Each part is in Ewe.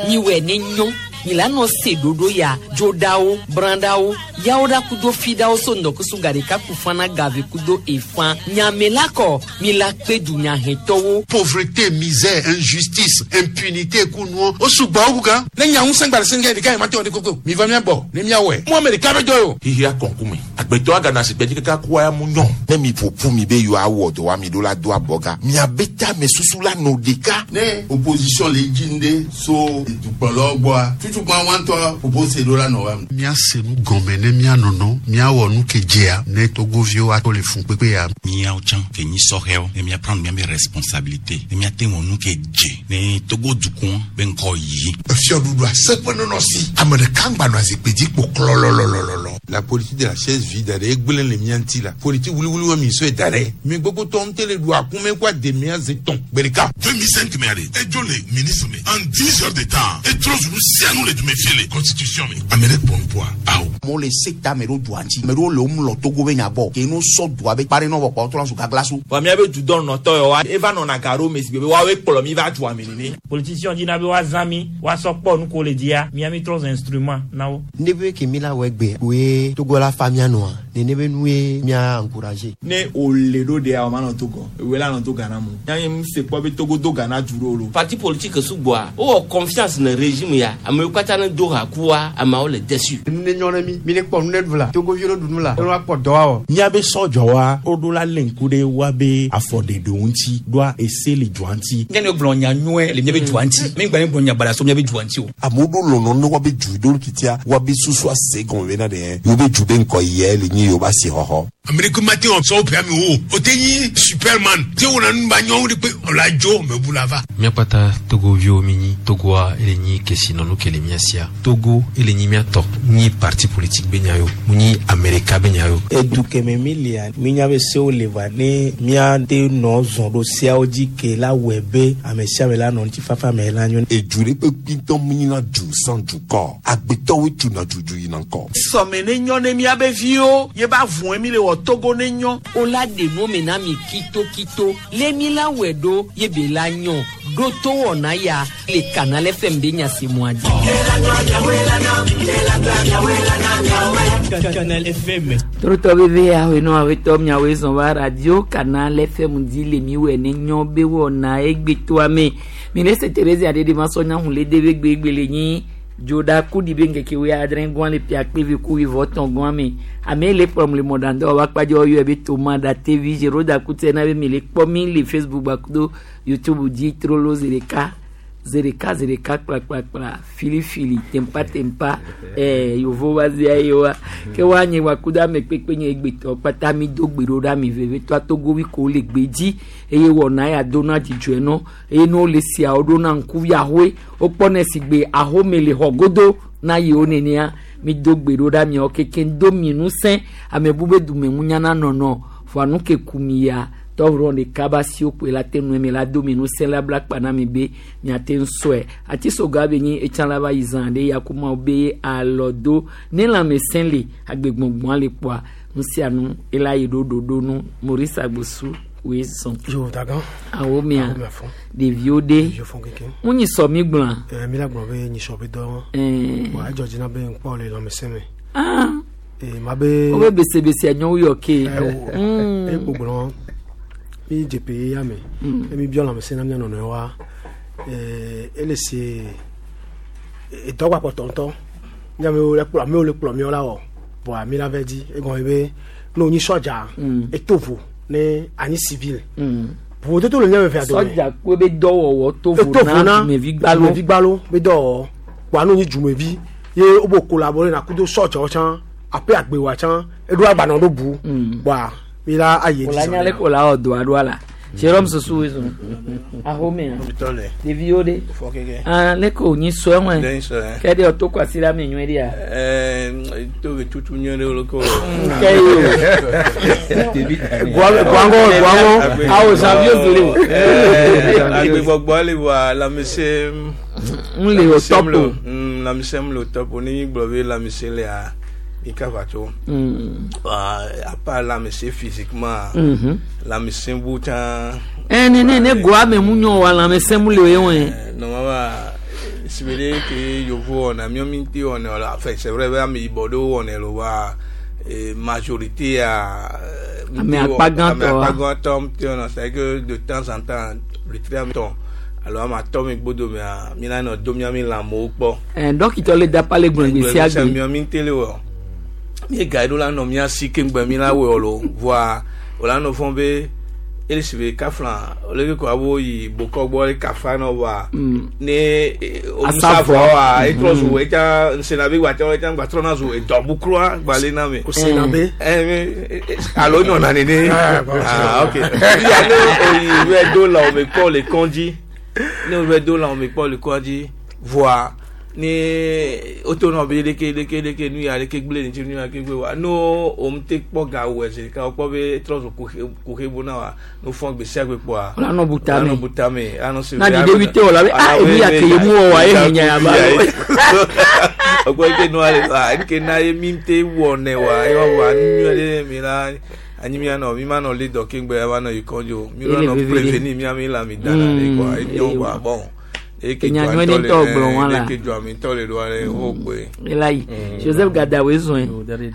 Miwɔe ne nyɔ mi la nɔ se ɖoɖo ya dzoɖawo brãɖawo yawo ɖa kudo fiɖawo so ŋdɔkusu gaɖeka kufana gave kudo efã nyame la kɔ mi la kpe dunyahetɔwo. Pauvreté, misère, injustice, impunité kunuɔ o sugbɔ wo gan. Ne nya ŋusẽ gba le sɛngɛ ɖeka yi ma te wɔ ɖe koko mi va mia gbɔ ne mia wɔe mu ame ɖeka be dɔ ye o. Xixia kɔnkume agbetɔ agana si gbɛdzi kaka kua ya mu nyɔ. Ne mi ƒoƒu mi be yewoawɔ dɔ wa mi ɖo la do abɔga miabe tame susu la nɔ ɖeka. Ne opposition le dzi ŋɖe so dukplɔlawo gbɔa tutukpa wa ŋutɔ propose ɖo la nɔ wa. Míase nu gɔme ne míanɔnɔ míawɔ nu ke dzea ne togoviwo ato le fun kpekpe ya. Míawo tsã ke nyi sɔhɛwo ne míaprendre míabe responsabilité ne míate wɔ nu ke dze ne Togo dukɔ be ŋkɔ yi. Efiɔɖuɖu aseƒe nɔnɔ si ame ɖeka ŋgba nɔ azikpui dzi kpo klɔlɔlɔlɔlɔ. La politique de la chaise vide ɖe egblẽ le mía ŋuti la politique wuliwuli wa mi sɔe da ɖe mi gbogbo tɔ ŋutɛ le ɖu akume kó ademea ze tɔn gbe ɖeka. 2005 mɛ de edzo le ministre me en 10 heures de temps etrɔ zunu sianu le dume fie le constitution me ame ɖe kpɔ nupoa awo. Amewo le se ta ame ɖewo dua ŋuti ame ɖewo le wo mlɔ Togo be nya gbɔ ke no sɔ dua be kpa ɖe nɔ vɔ kpɔ trɔ zu gaglasu. Vɔ míabe dudɔnɔtɔ yawoa eva nɔna ga ɖo me si be woawoe kplɔ mi va dua me nene. Politicien dina be woazã mi woasɔ kpɔ nu ko le dzia mía mi trɔ zu instrument na wo. Ne be ke mi la wɔ egbe woe Togo la fa mía nɔa nene be nue mía encourager. Ne wòle ɖo ɖea o ma nɔ Togo ewoe la nɔ to Ghana mu yanyi mu se kpɔ be Togo do Ghana du ɖo lo. Parti politique sugbɔa wowɔ confiance ne régime ya amewo katã ne do ha kua ameawo le déçu. Nu ne nyɔ ne mi mi ne kpɔ nu ne ɖu la Togoviwo ne ɖu nu la ne woakpɔ dɔ awɔ. Míabe sɔdzɔwa woɖo la lé ŋku ɖe woabe afɔɖeɖewo ŋuti ɖoa ese le dua ŋuti. Ne gblɔ nya nyuie le míabe dua ŋuti mi gba gblɔ nya baɖa so míabe dua ŋuti o. Amewo ɖo lɔlɔ ne woabe du ɖo titia woabe susu ase gɔme bena ɖe yewo be du be ŋkɔ yɛ le nyi yewo ba si xɔxɔ. Ame ɖe ke ma te wɔ sɔwɔ ƒea mi o o te nyi superman te wɔna nu ba nyɔnu ɖe kpe ɔla dzo me bu la va. Míakpata togoviwo mi nyi Togoa ele nyi kesinɔnu ke le mía sia Togo ele nyi míatɔ nyi parti politique be nya yo mu nyi Amerika be nya yo. Edu keme mi lia mi nya be sewo le va ne míate nɔ zɔn ɖo seawo dzi ke la wɔe be ame sia ame la nɔ ŋutifafa me la nyo. Edu ɖe kpekpe ŋutɔ mu nyina du sans dukɔ agbetɔwoe tuna dudu yina ŋkɔ. Sɔme ne nyɔ ne míabe viwo ye ba vɔe mi le wɔ Togo ne nyɔ. O la ɖe nu me na mi kitokito le mi la wɔe ɖo ye be la nyɔ ɖo to wɔna ya le Canal FM be nyasemua dzi. Canal FM. Torotɔ bebe ahoenɔ awetɔ miawoe zɔn va radio Canal FM dzi le mi wɔ ne nyɔ be wɔna egbetoa me mi le se Therese aɖe ma sɔ nya hun le de be gbegbe le nyi dzoɖa kuɖi be ŋkeke wo adre gɔn le pia kpe ku wivɔ tɔn gɔn me ame le kplɔm le mɔɖaŋdɔ wa kpadze wɔyɔ be toma da tv zero da kutɛ na be mi le kpɔ mi le Facebook gbakudo YouTube dzi trolo zeɖeka zeɖeka zeɖeka kplakplakpla filifili tempa tempa yovo wa zia ye wa ke wa nye wa kudo ame kpekpe nye egbetɔ kpata mi do gbe ɖo ɖe ami veve to atogovi ko le gbe dzi eye wɔna ya do na dzidzɔe nɔ eye ne wole siawo ɖo na ŋkuvi ahoe wokpɔ si gbe ahome le xɔ godo na yewo nenea mi do gbe ɖo ɖe amiawo keke do mi ŋusẽ ame bu be dume ŋu na nɔnɔ fɔ anu ke ku mi ya tɔvrɔ ɖeka ba si wokpoe la te nue mi la do mi ŋusẽ la bla kpa na mi be miate ŋu sɔe atisoga be nyi etsã la va yi zã ɖe yakumawo be alɔ do ne lãmesẽ le agbegbɔgbɔa le kpoa nu sia nu ela yi ɖo ɖoɖo nu Maurice Agbosu woe zɔn. Yo dagan. Awo mia ɖeviwo ɖe Ɖeviwo fɔn keŋkeŋ. ŋu nyi sɔ mi gblɔa. Mi la gblɔ be nyisɔ be dɔ. Wa edzɔ dzi na be ŋkpɔ le lãmesẽ me. Ah. Ma be. Wobe besebese nyɔwu yɔ ke. Eye kpo gblɔ mi dze pe ya me. Emi biɔ lãmesẽ na mía nɔnɔewoa. Ele se edɔ gbakpɔtɔ ŋutɔ. Míamewo le kplɔ amewo le kplɔ míawo la wɔ. Voa mi la vɛ dzi egɔme be ne wonyi sɔdza eto vo ne anyi civil. Vovototo le míame vea dome. Sɔdza kpe be dɔwɔwɔ to vo na dumevi gbalo. Dumevi gbalo be dɔwɔwɔ. Kpoa ne wonyi dumevi ye wobe collaborer na kudo sɔdzawo tsã aƒe agbewoa tsã eɖo agbanɔ ɖo bu. Kpoa mi la ayi edzi. Wòla nya le ko la wɔ dɔa ɖoa la. Jérôme Sossou wezo. Ahomea. Ɖeviwo ɖe. Ah, le ko nyi sɔe ŋue. Ke ɖe ɔtɔ kwasi ɖe ame nyuie ɖea. To be tutu nyuie ɖe wole ko. Ke ye o. Guangɔ guangɔ. Awo janvier zole o. Agbegbɔgbɔ le wa lãmesẽ. N le o top o. Lãmesẽ le o top o. Ne mi gblɔ be lãmesẽ lea mi ka va tso. À part lãmesẽ physiquement. Lãmesẽ bu tsã. Ne goa me mu nyɔ wa lãmesẽ mu le o ye wɛ. Normalement. Si be ɖe ke yovo wɔna míɔ mi te wɔnɛ o la, enfin c'est vrai be ame yibɔ ɖewo wɔnɛ lo wa majorité a. Ame akpa gãtɔ Ame akpa gãtɔ ŋuti wɔna, c'est que de temps en temps wletri ame tɔn alo ame atɔ̃ mi gbodo mea mi la nɔ do mía mi lãmewo kpɔ. Dɔkitɔ le dapa le gblɔ gbe sia gbe. Míɔ mi te le wɔ. Mi ga ɖo la nɔ mía si keŋgbe mi la wɔ lo voa o la nɔ fɔ be ele si be kafla ole ke ko abo yi bokɔ gbɔ le kafa nɔ voa ne Asa omusa vɔ. vɔ wa etrɔ zu Mm. etsa nsena be gbatsɔ etsa gbatrɔ na zu edɔbukroa gbale na me. Osena be? Alo nɔna nene. Ah, bon, Ah, ok. Fia ne oyi wɛ do la ome kpɔ le kɔndzi ne wɛ do la ome kpɔ le kɔndzi voa ne woto nɔ be leke leke leke nu ya leke gble ŋuti nu ya leke gble wa no o ŋute kpɔ ga wɔ zi ɖeka wokpɔ be etrɔ zu kuxe bo na wa no fɔ gbe sia gbe kpɔa. Wòle anɔ bu tame. Wòle anɔ bu tame. Anɔ si Na didi wi te wòle abe, ah, enu ya ke ye mu wɔ wa, ye hɛn nya ya ba. Ɔgbɔ eke nua le wa eke na ye mi te wɔ nɛ wa ye wa wa nu nyuie ɖe mi la anyi mia nɔ mi ma nɔ le dɔ keŋgbe ya va nɔ yi kɔndzo mi Ele la nɔ veve ɖe. prévenir mia mi la mi dana ɖe kɔa enyo Ele kɔa bon. Eke Enya dzoa nyuie ŋutɔ ɖe ŋutɔ le gblɔ wa la. eke dzoa mi ŋutɔ le ɖoa ɖe wo gbe. Ela yi. Joseph Gadawe zɔn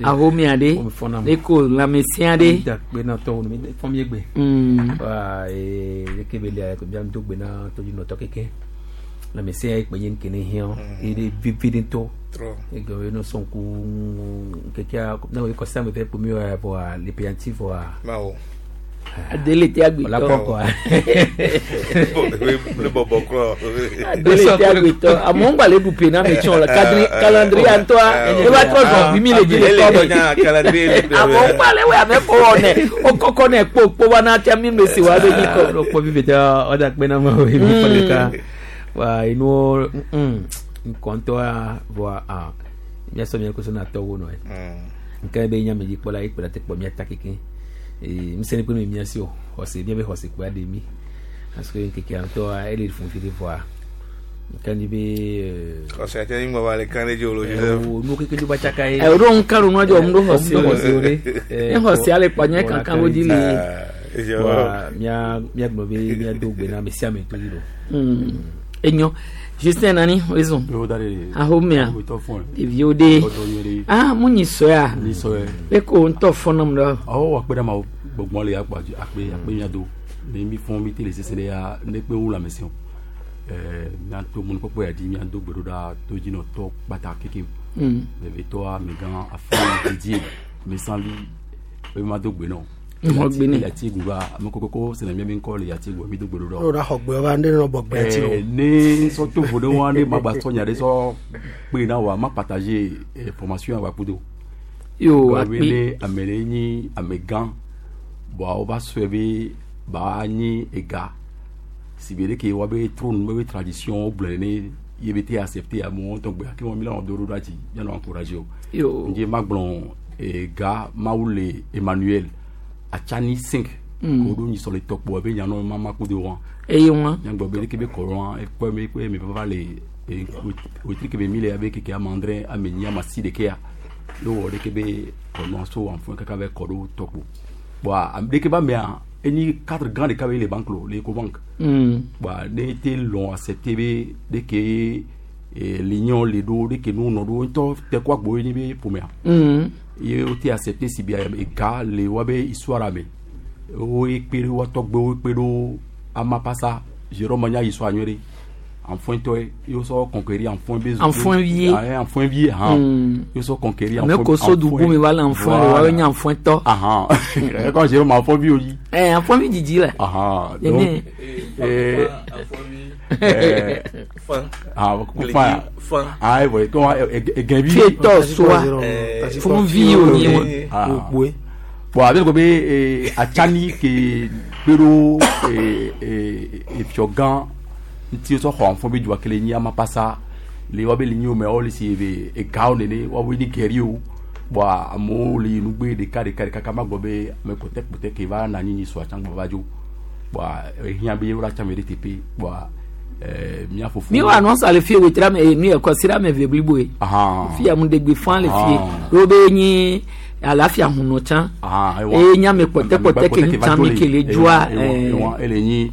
ahomia ɖe eko lãmesẽ ɖe. Gbe na tɔwo mi fɔm ye gbe. Wa leke be lia mia do gbe na tɔdzinɔtɔ keke. Lãmesẽ ya kpe nye nke ne hiã ye ɖe vivi ɖe ŋutɔ. Trɔ. Egbe ye no sɔn ku kekea ne wo kɔsi ame eve kpo mi wa vɔa le peyanti vɔa. Mawo. Adele te agbetɔ. Wòle akpɔ kɔa. Ne bɔbɔ kura. Adele te agbetɔ. Amewo ŋgba le ɖu pe na ame tsɔ la. Calendrier ŋutɔa eva trɔ zɔn vi mi le dzi le Ele kɔ tɔ nya calendrier le me. Amewo ŋgba le wɔ ame kɔ wɔ nɛ. Wokɔkɔ nɛ kpo kpo va na tia mi me si wa be nyi kɔ. Ɖo kpɔ vivi tɛ ɔda kpe na ma wo mi fɔ ɖeka. Wa enuwo ŋkɔ ŋutɔa vɔa a miasɔ mia koso na tɔwo nɔ ye. Nke be nyame dzikpɔla ye kpe la te kpɔ mia ta keke. Ŋusẽ kpe mi mia si o xɔse mia be xɔse kpe aɖe mi parce que ŋkekea ŋutɔa ele fun fi ɖe vɔa nke nyi be. Xɔse ate ŋu va le kan ɖe dzi o lo Joseph. O nu keke dzo ba tsaka ye. Ɛ o ɖo ŋka ɖo nua dzɔ ŋu ɖo xɔse Ŋu ɖo xɔse o ɖe. Ne xɔse ale kpɔ nye kankan wo dzi le. Wa mia mia gblɔ be mia do gbe na ame sia ame to dzi lo. Enyo. Justin nani wezɔn. Ahomea. Ɖeviwo ɖe. Ah mu nyi sɔea. Nyi sɔe. Le ko ŋutɔ fɔ nam ɖɔ. Awɔ akpe ɖe ma gbɔgbɔ le akpa akpe akpe mia do. Ne mi fɔn mi te le sese ɖe ya ne kpe wu lãmesẽ o. Ɛɛ miato mɔnukpɔkpɔ ya dzi miado gbe ɖo ɖa todzinɔtɔ kpata keke. Vevetɔa amegã afɔ didie mesanvi be ma do gbe nɔ. Ŋxɔ gbe nɛ. Le ati gu va ame kɔkɔkɔ sena mia be ŋkɔ le ati gu mi do gbe ɖo ɖa. N'o da xɔ gbe va ne nɔ bɔ gbe ati o. Ne sɔ to vo ɖe wa ne ma gba sɔ nya ɖe sɔ kpe na wa ma partager formation ya wa kudo. Yo, Gɔme akpe. ne ame ɖe nyi amegã bɔn wova sɔe be ba nyi ega si be ɖeke wa be trône be tradition wo gblɔe ne ye be te accepter amewo ŋutɔ gbe ake wɔn mi la nɔ do ɖo ɖa dzi mianɔ encourager o. Yo. Ŋdzi ma gblɔ ega Mawu le Emmanuel Atsani 5 ko ɖo nyisɔ le tɔkpo ebe nyanɔ mama kudo wa. Eye wa. Nyagbɔ be ɖeke be kɔrɔ ekpɔ me ekpɔ me vava le wetri ke be mi le abe keke ame adre ame enyi ame asi ɖekea ye wɔ ɖeke be kɔnɔ so anfɔ kaka be kɔ ɖo tɔkpo bɔn ame ɖeke ba mea enyi cadre gã ɖeka be le banque lo le Ecobank. Bɔn ne te lɔn accepter be ɖeke l'union le ɖo ɖeke nu nɔ ɖo ŋutɔ te kɔ agbo ye nyi be ƒomea. Ye wo te accepter si be ega le wa be histoire me wo ekpe ɖo wa tɔgbewo kpe ɖo amapasa Jérôme nya histoire nyuie ɖe enfant-tɔ ye wo sɔ conquérir enfant be. Enfant vie. Ah, enfant vie han ye wo sɔ conquérir. Ame ko so dugu mi va le enfant le wa be nye enfant tɔ. Ahan quand Jérôme enfant vie o yi. Ɛ enfant vi dzidzi le. Ahan Nene. donc Fan. ah Gledi, fan fan. ah ouais comment gɛnvi. Fietɔ soa. Fún vi o nyi wa. Ah. Bon, avec le be atsani ke kpe ɖo efiɔ gã ŋuti sɔ xɔ afɔ be dua kele nyi ama pasa le wa be le nyi wo me wo le si be egawo nene wa be ni gɛri o bon amewo le yi nugbe ɖeka ɖeka ɖeka kama gbɔ be ame kpɔtɛ kpɔtɛ ke va na anyi nyi sua tsã gbɔ va dzo bon ehiã be wo la tsã me ɖe teƒe bon mía fofo. Mi wa anɔnsa le fie wetra me nu yɛ kɔsi ame ve blibo ye. Ahan. Fia mu ɖegbe fan le fie. Ah. Wo be nyi alafia hunɔ tsã. Ah, ewa. Eye nye ame kpɔtɛkpɔtɛ ke ŋu tsã mi ke le dzoa. Ewa, ewa, ele nyi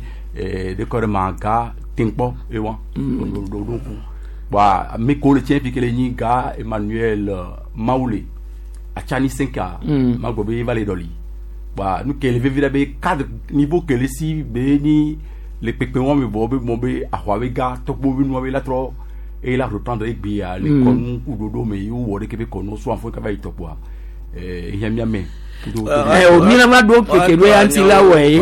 ɖekɔ ɖe ma ga tenkpɔ ewa. Ɖoɖo ku. Bɔn ame ko le tiɲɛ fi kele nyi ga Emmanuel Mawule Atsani Senka. Ma gbɔ be va le dɔli. Bɔn nu kele vevi ɖe be cadre niveau kele si be ni le kpekpe wɔn mi bɔ be mɔ be axɔa be ga tɔgbo be nua be la trɔ eye la reprendre egbea le kɔnu ku ɖoɖo me yi wowɔ ɖeke be kɔnu so afɔ kaba yi tɔkpoa ehiã mía me. O mina ma ɖo keke ɖo ya ŋuti la wɔ ye.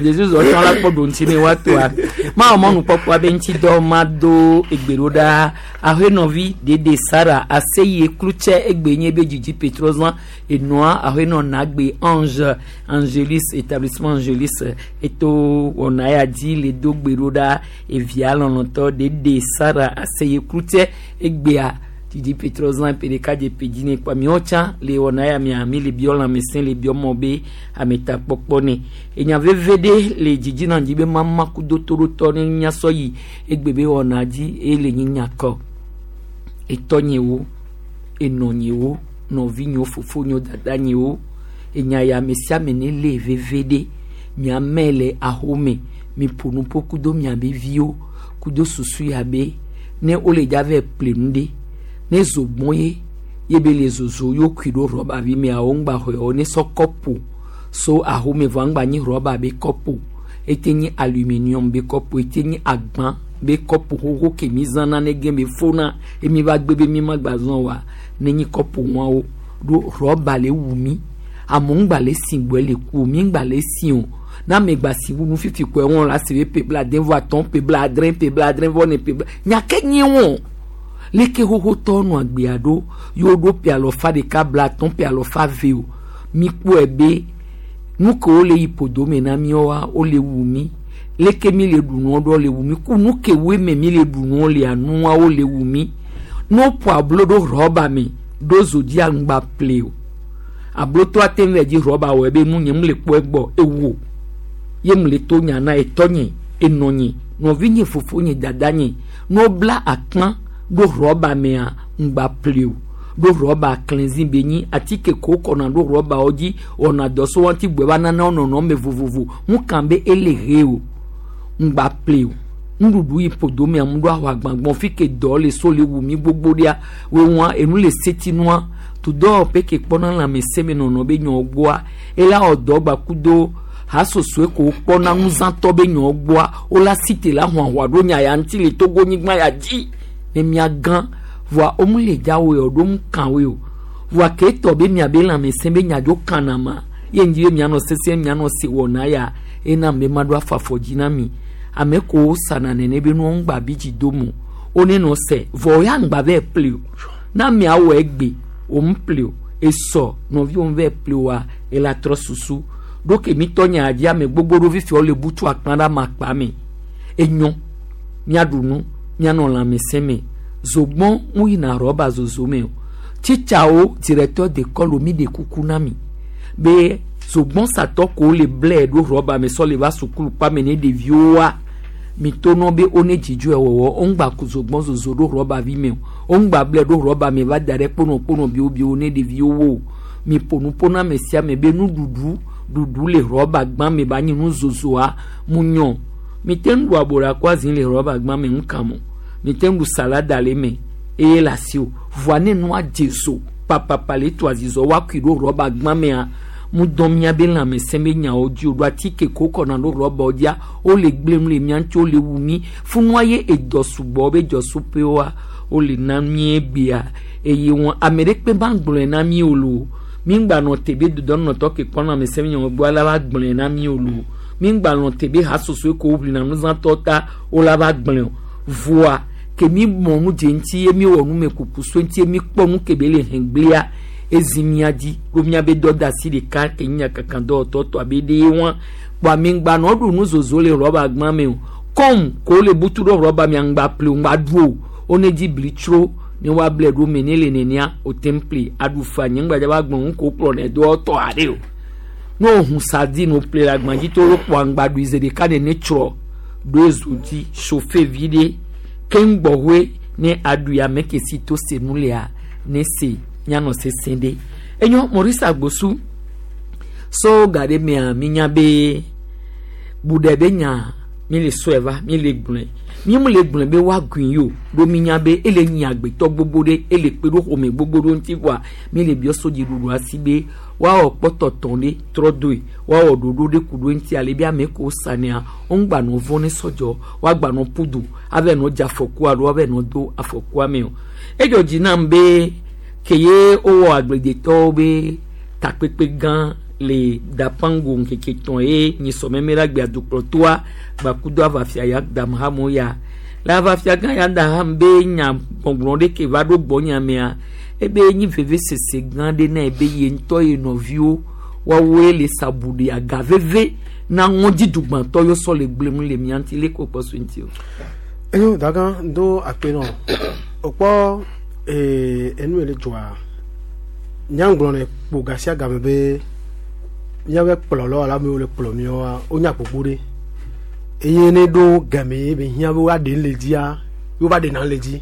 Jesu zɔ tsɔ la kpɔ ɖo ŋuti ne woatoa. Ma wɔ mɔnukpɔkpɔ be ŋuti dɔ ma do egbe ɖo ɖa. Ahenɔvi dede Sara aseye klutsɛ egbe nye be dzidzi petrozan enɔa ahenɔ nagbe Ange Angelis établissement Angelis eto wɔna ya dzi le do gbe ɖo ɖa evia lɔlɔtɔ dede Sara aseye klutsɛ egbea dzidzi petrozan ƒe ɖeka dze ƒe dzi ne kpa miawo tsã le wɔna ya mia mi le biɔ lãmesẽ le biɔ mɔ be ametakpɔkpɔ ne enya veve ɖe le dzidzi na dzi be mama kudo toɖotɔ ne miasɔ yi egbe be wɔna dzi eye le nyi nyakɔ etɔnyewo enɔnyewo nɔvinyewo fofonyewo dadanyewo enya ya ame sia ame ne le veve ɖe miame le ahome mi ƒo nu ƒo kudo miabe viwo kudo susu ya be ne wole dza vɛ ple nu ɖe ne zogbɔn ye ye be le zozo yo kui ɖo rɔba vi mea wo ŋgba xɔe o ne sɔ kɔpu so ahome vɔ ŋgba nyi rɔba be kɔpu ete nyi aluminium be kɔpu ete nyi agbã be kɔpu xoxo ke mi zãna ne ge be fona emi va gbe be mi ma gba zã oa ne nyi kɔpu wɔwo ɖo rɔba le wu mi amewo ŋgba le si gbɔe le ku o mi ŋgba le si o na ame gba si wu nu fifi kɔe wɔn la si be ƒe bla ade vɔ atɔ̃ ƒe bla adre ƒe bla adre vɔ ne ƒe bla nyake nye wɔn leke xoxotɔ nɔ agbea ɖo yewo ɖo ƒe alɔfa ɖeka bla atɔ̃ ƒe alɔfa ve o mi kpɔe be nu ke wole yi ƒodo me na míawoa wole wu mi leke mi le ɖu nua ɖo le wu mi ku nu ke woe me mi le ɖu nua lea nuawo le wu mi ne woƒo ablo ɖo rɔba me ɖo zo dzi aŋgba ple o ablotɔ ate ŋu dzi rɔba wɔ ebe nu nye mu le kpɔ egbɔ ewu o ye mu le to nya na etɔnye enɔnye nɔvinye fofonye dadanye ne wobla akpã ɖo rɔba mea ŋgba ple o ɖo rɔba klẽzi be nyi atike ko kɔna ɖo rɔbawo dzi wɔna dɔ so wɔn ti gbɔ eva nana nɔnɔ me vovovo ŋu kan be ele he o ŋgba ple o nuɖuɖu yi ƒodo mea mu ɖo axɔ agbagbɔn fi ke dɔ le so le wu mi gbogbo ɖia wo wɔn enu le setinua to dɔwɔƒe ke kpɔna lãmesẽ me nɔnɔ be nyɔ gbɔa ela wɔ dɔ gba kudo hasosoe ko kpɔna nuzãtɔ be nyɔ gbɔa wola site la huahua ɖo nya ya ŋuti le Togo nyigba ya dzi ne mia gã voa womu le dza woe o ɖo mu kan woe o voa ke tɔ be miabe lãmesẽ be nyadzo kana ma ye ŋdzi be mianɔ sese mianɔ se wɔna ya ena me ma ɖo afɔ dzi na mi ame ko sana nene be nuwo ŋgba bi dzi do mo wo ne nɔ se vɔ ya ŋgba vɛ ple o na miawɔ egbe o ŋu ple o esɔ nɔviwo vɛ ple oa ela trɔ susu ɖo ke mi tɔ nya dzi ame gbogbo ɖo fifi wo le butu akpa ɖe ama akpa me enyo miaɖu nu mianɔ lãmesẽ me zogbɔn ŋu yina rɔba zozo me o tsitsawo directeur d'école mi ɖe kuku na mi be zogbɔn satɔ ko le blɛ ɖo rɔba me sɔ le va sukulu kpame ne ɖeviwoa mi to nɔ be wo ne dzidzɔe wɔwɔ wo ŋgba ku zogbɔn zozo ɖo rɔba vi me o wo ŋgba blɛ ɖo rɔba me va da ɖe kponɔ kponɔ biwobiwo ne ɖeviwo wo o mi ƒo nu ƒo na ame sia ame be nuɖuɖu ɖuɖu le rɔba gbã me ba nyi nu zozoa mu nyɔ mi te ŋu ɖu aboɖa kó azi le rɔba gbã me ŋu kam o mi te ŋu ɖu salada le me eye le asi o voa ne nua dze zo papapa le to azizɔ woakui ɖo rɔba gbã mea mu dɔn mía be lãmesẽ be nyawo dzi o ɖo atike ko kɔna ɖo rɔbawo dzia wole gblẽm le mía ŋuti wole wu mí funua ye edɔ sugbɔ be dzɔsuƒewoa wole na mí egbea eye wɔn ame ɖe kpe ba gblɔe na mí o lo mí ŋgba nɔ te be dodɔnɔtɔ ke kpɔ lãmesẽ be nyawo gbɔ la va gblɔe na mí o lo mí ŋgba nɔ te be hasosoe ko woʋlina nuzãtɔ ta wola va gblɔe o voa ke mi mɔ nu dze ŋuti ye mi wɔ numekuku so ŋuti ye mi kpɔ nu ke be le hɛngblea ezi mia dzi ɖo miabe dɔdeasi ɖeka ke nye nyakaka dɔwɔtɔ tɔ abe ɖe wɔn kpɔ ame ŋgba nɔ ɖu nu zozo le rɔba gbã me o kɔm ko le butu ɖo rɔba mia ŋgba ple o ŋgba ɖu o wo ne dzi bli tsro ne woable ɖo me ne le nenea o te ple aɖu fa nye ŋgba dza va gblɔ nu ko kplɔ ne dɔwɔtɔ aɖe o ne o hu sardine o ple le agba dzi to wo kpɔ aŋgba ɖui zi ɖeka ne ne tsrɔ ɖo ezo dzi chauffe vi ɖe keŋ gbɔhoe ne aɖui ame ke si to se nu lea ne se mianɔ sese ɖe enyo Maurice Agbosu so ga ɖe mea minya be bu ɖe be nya Mi le sɔe va, mi le gblɔe. Mi mu le gblɔe be woagui yi o. Ɖo mi nya be ele nyi agbetɔ gbogbo ɖe, ele kpe ɖo xɔme gbogbo ɖo ŋuti voa mi le biɔ sodziɖuɖua si be woawɔ kpɔtɔtɔ ɖe trɔ doe, woawɔ ɖoɖo ɖe ku ɖo eŋuti ale be ame kewo sanea, woŋgba nɔ vɔ̃ ne sɔdzɔ, woagba nɔ ƒu du ava nɔ dze afɔku alo woava nɔ do afɔkua me o. Edzɔ dzi nam be ke ye wowɔ agbledetɔwo be takpekpe gã le Dapango ŋkeke tɔ̃ ye nyisɔmeme la gbea dukplɔtoa gbakudo avafia ya Damhamo ya. Le avafia gã ya Daham be nya gbɔgblɔ ɖe ke va ɖo gbɔ nyamea, ebe nyi vevesese gã ɖe na ebe ye ŋutɔ ye nɔviwo woawoe le sabu ɖe aga veve na ŋɔdzidugbãtɔ yɔ sɔ le gblẽm le mía ŋuti le ko kpɔ so ŋuti o. Enyo daga do akpe nɔ okpɔ ee enu le dzɔa nyaŋgblɔ ne kpo gasia game be míaƒe kplɔlɔ alo amewo le kplɔ míawoa wonya gbogbo ɖe eye ne ɖo game ye be hiã be woaɖe le dzia ye wova ɖena le dzi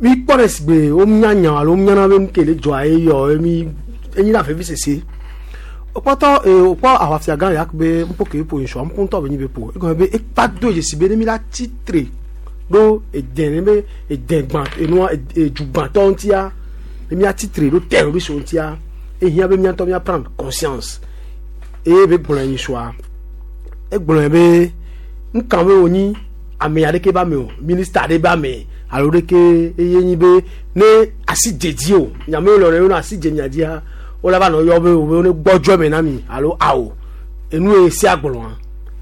mi kpɔ ɖe sigbe wonya nya alo wonyana be nu ke le dzɔa ye yɔ ye mi enyi na vevi sese wokpɔtɔ ee wokpɔ aʋafia gã ya be ŋpo ke ƒo nsua ŋpo ŋutɔ be nyi be ƒo egɔme be ekpa do dzesi be ne mi la tsitre ɖo ede ne be ede gbã enua edzugbãtɔ ŋutia ne mia tsitre ɖo terroriste ŋutia ehiã be miatɔ mia prendre conscience eye be gblɔ nyi sua egblɔ be nka be wonyi ame aɖeke ba me o minista aɖe ba me alo ɖeke eye nyi be ne asi dze dzi o nyamewo le wɔna asi dze mia dzia wola va nɔ yɔ be o be ne gbɔdzɔ me na mi alo awo enu ye sia gblɔa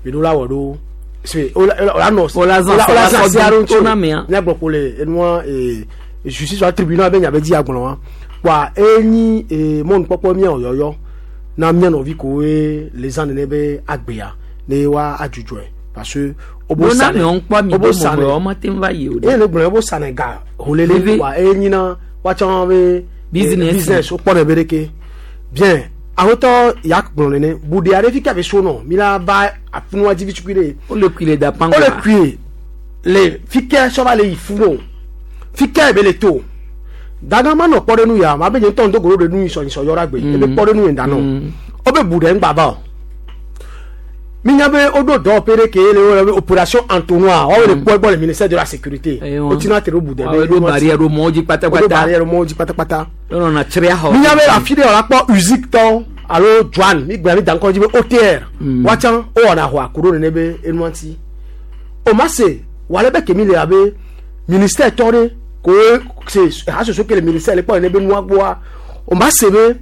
mi ɖo la wɔ ɖo se wola nɔ Wola zã wola zã sia ɖo ŋuti to na mea. miagblɔ ko le enua ee justice wa tribunal be nya be dzi agblɔ wa kpoa enyi ee mɔnukpɔkpɔ miawo yɔyɔ na mia nɔvi kowoe le zã nene be agbea ne wa adzudzɔe parce que wobo Ɖo na sa me ŋkpɔ mi wobo do sa mɔmɔ wɔma te va yi o eye le gblɔ wobo sa ne ga holele Veve. kpoa enyi na woatsɔ be Business. business wokpɔ ne be ɖeke bien awotɔ ya gblɔ nene buɖe aɖe fi ka be so nɔ mi la va afunua dzi vi tukui ɖe Wole kui le Dapango. wole kui le fi ke sɔ va le yi fu o fi ke be le to daga ma nɔ kpɔ ɖe nu ya ma be nye ŋutɔ ŋdo golo ɖe nu yi sɔ nyisɔ yɔ ɖa gbe ebe kpɔ ɖe nu yi da nɔ wobe bu ɖe ŋgba va o minya be woɖo dɔwɔƒe ɖe ke le wo be opération entonnoir woawo le kpɔ egbɔ le ministère de la sécurité wotina te ɖo bu ɖe Woawo ɖo barrière ɖo mɔwo dzi woɖo pátápátá. barrière ɖo mɔwo dzi pátápátá Wonɔna tsria xɔ. minya be afi ɖe wòla kpɔ usine tɔ alo douane mi gblẽ mi da ŋkɔ dzi be OTR woatsã wowɔna xɔ aku ɖo nene be enua ŋuti o ma se wòale be kemi le abe ministère tɔ ɖe ko se hasoso ke le ministère le kpɔ nene be nua gbɔa o ma se be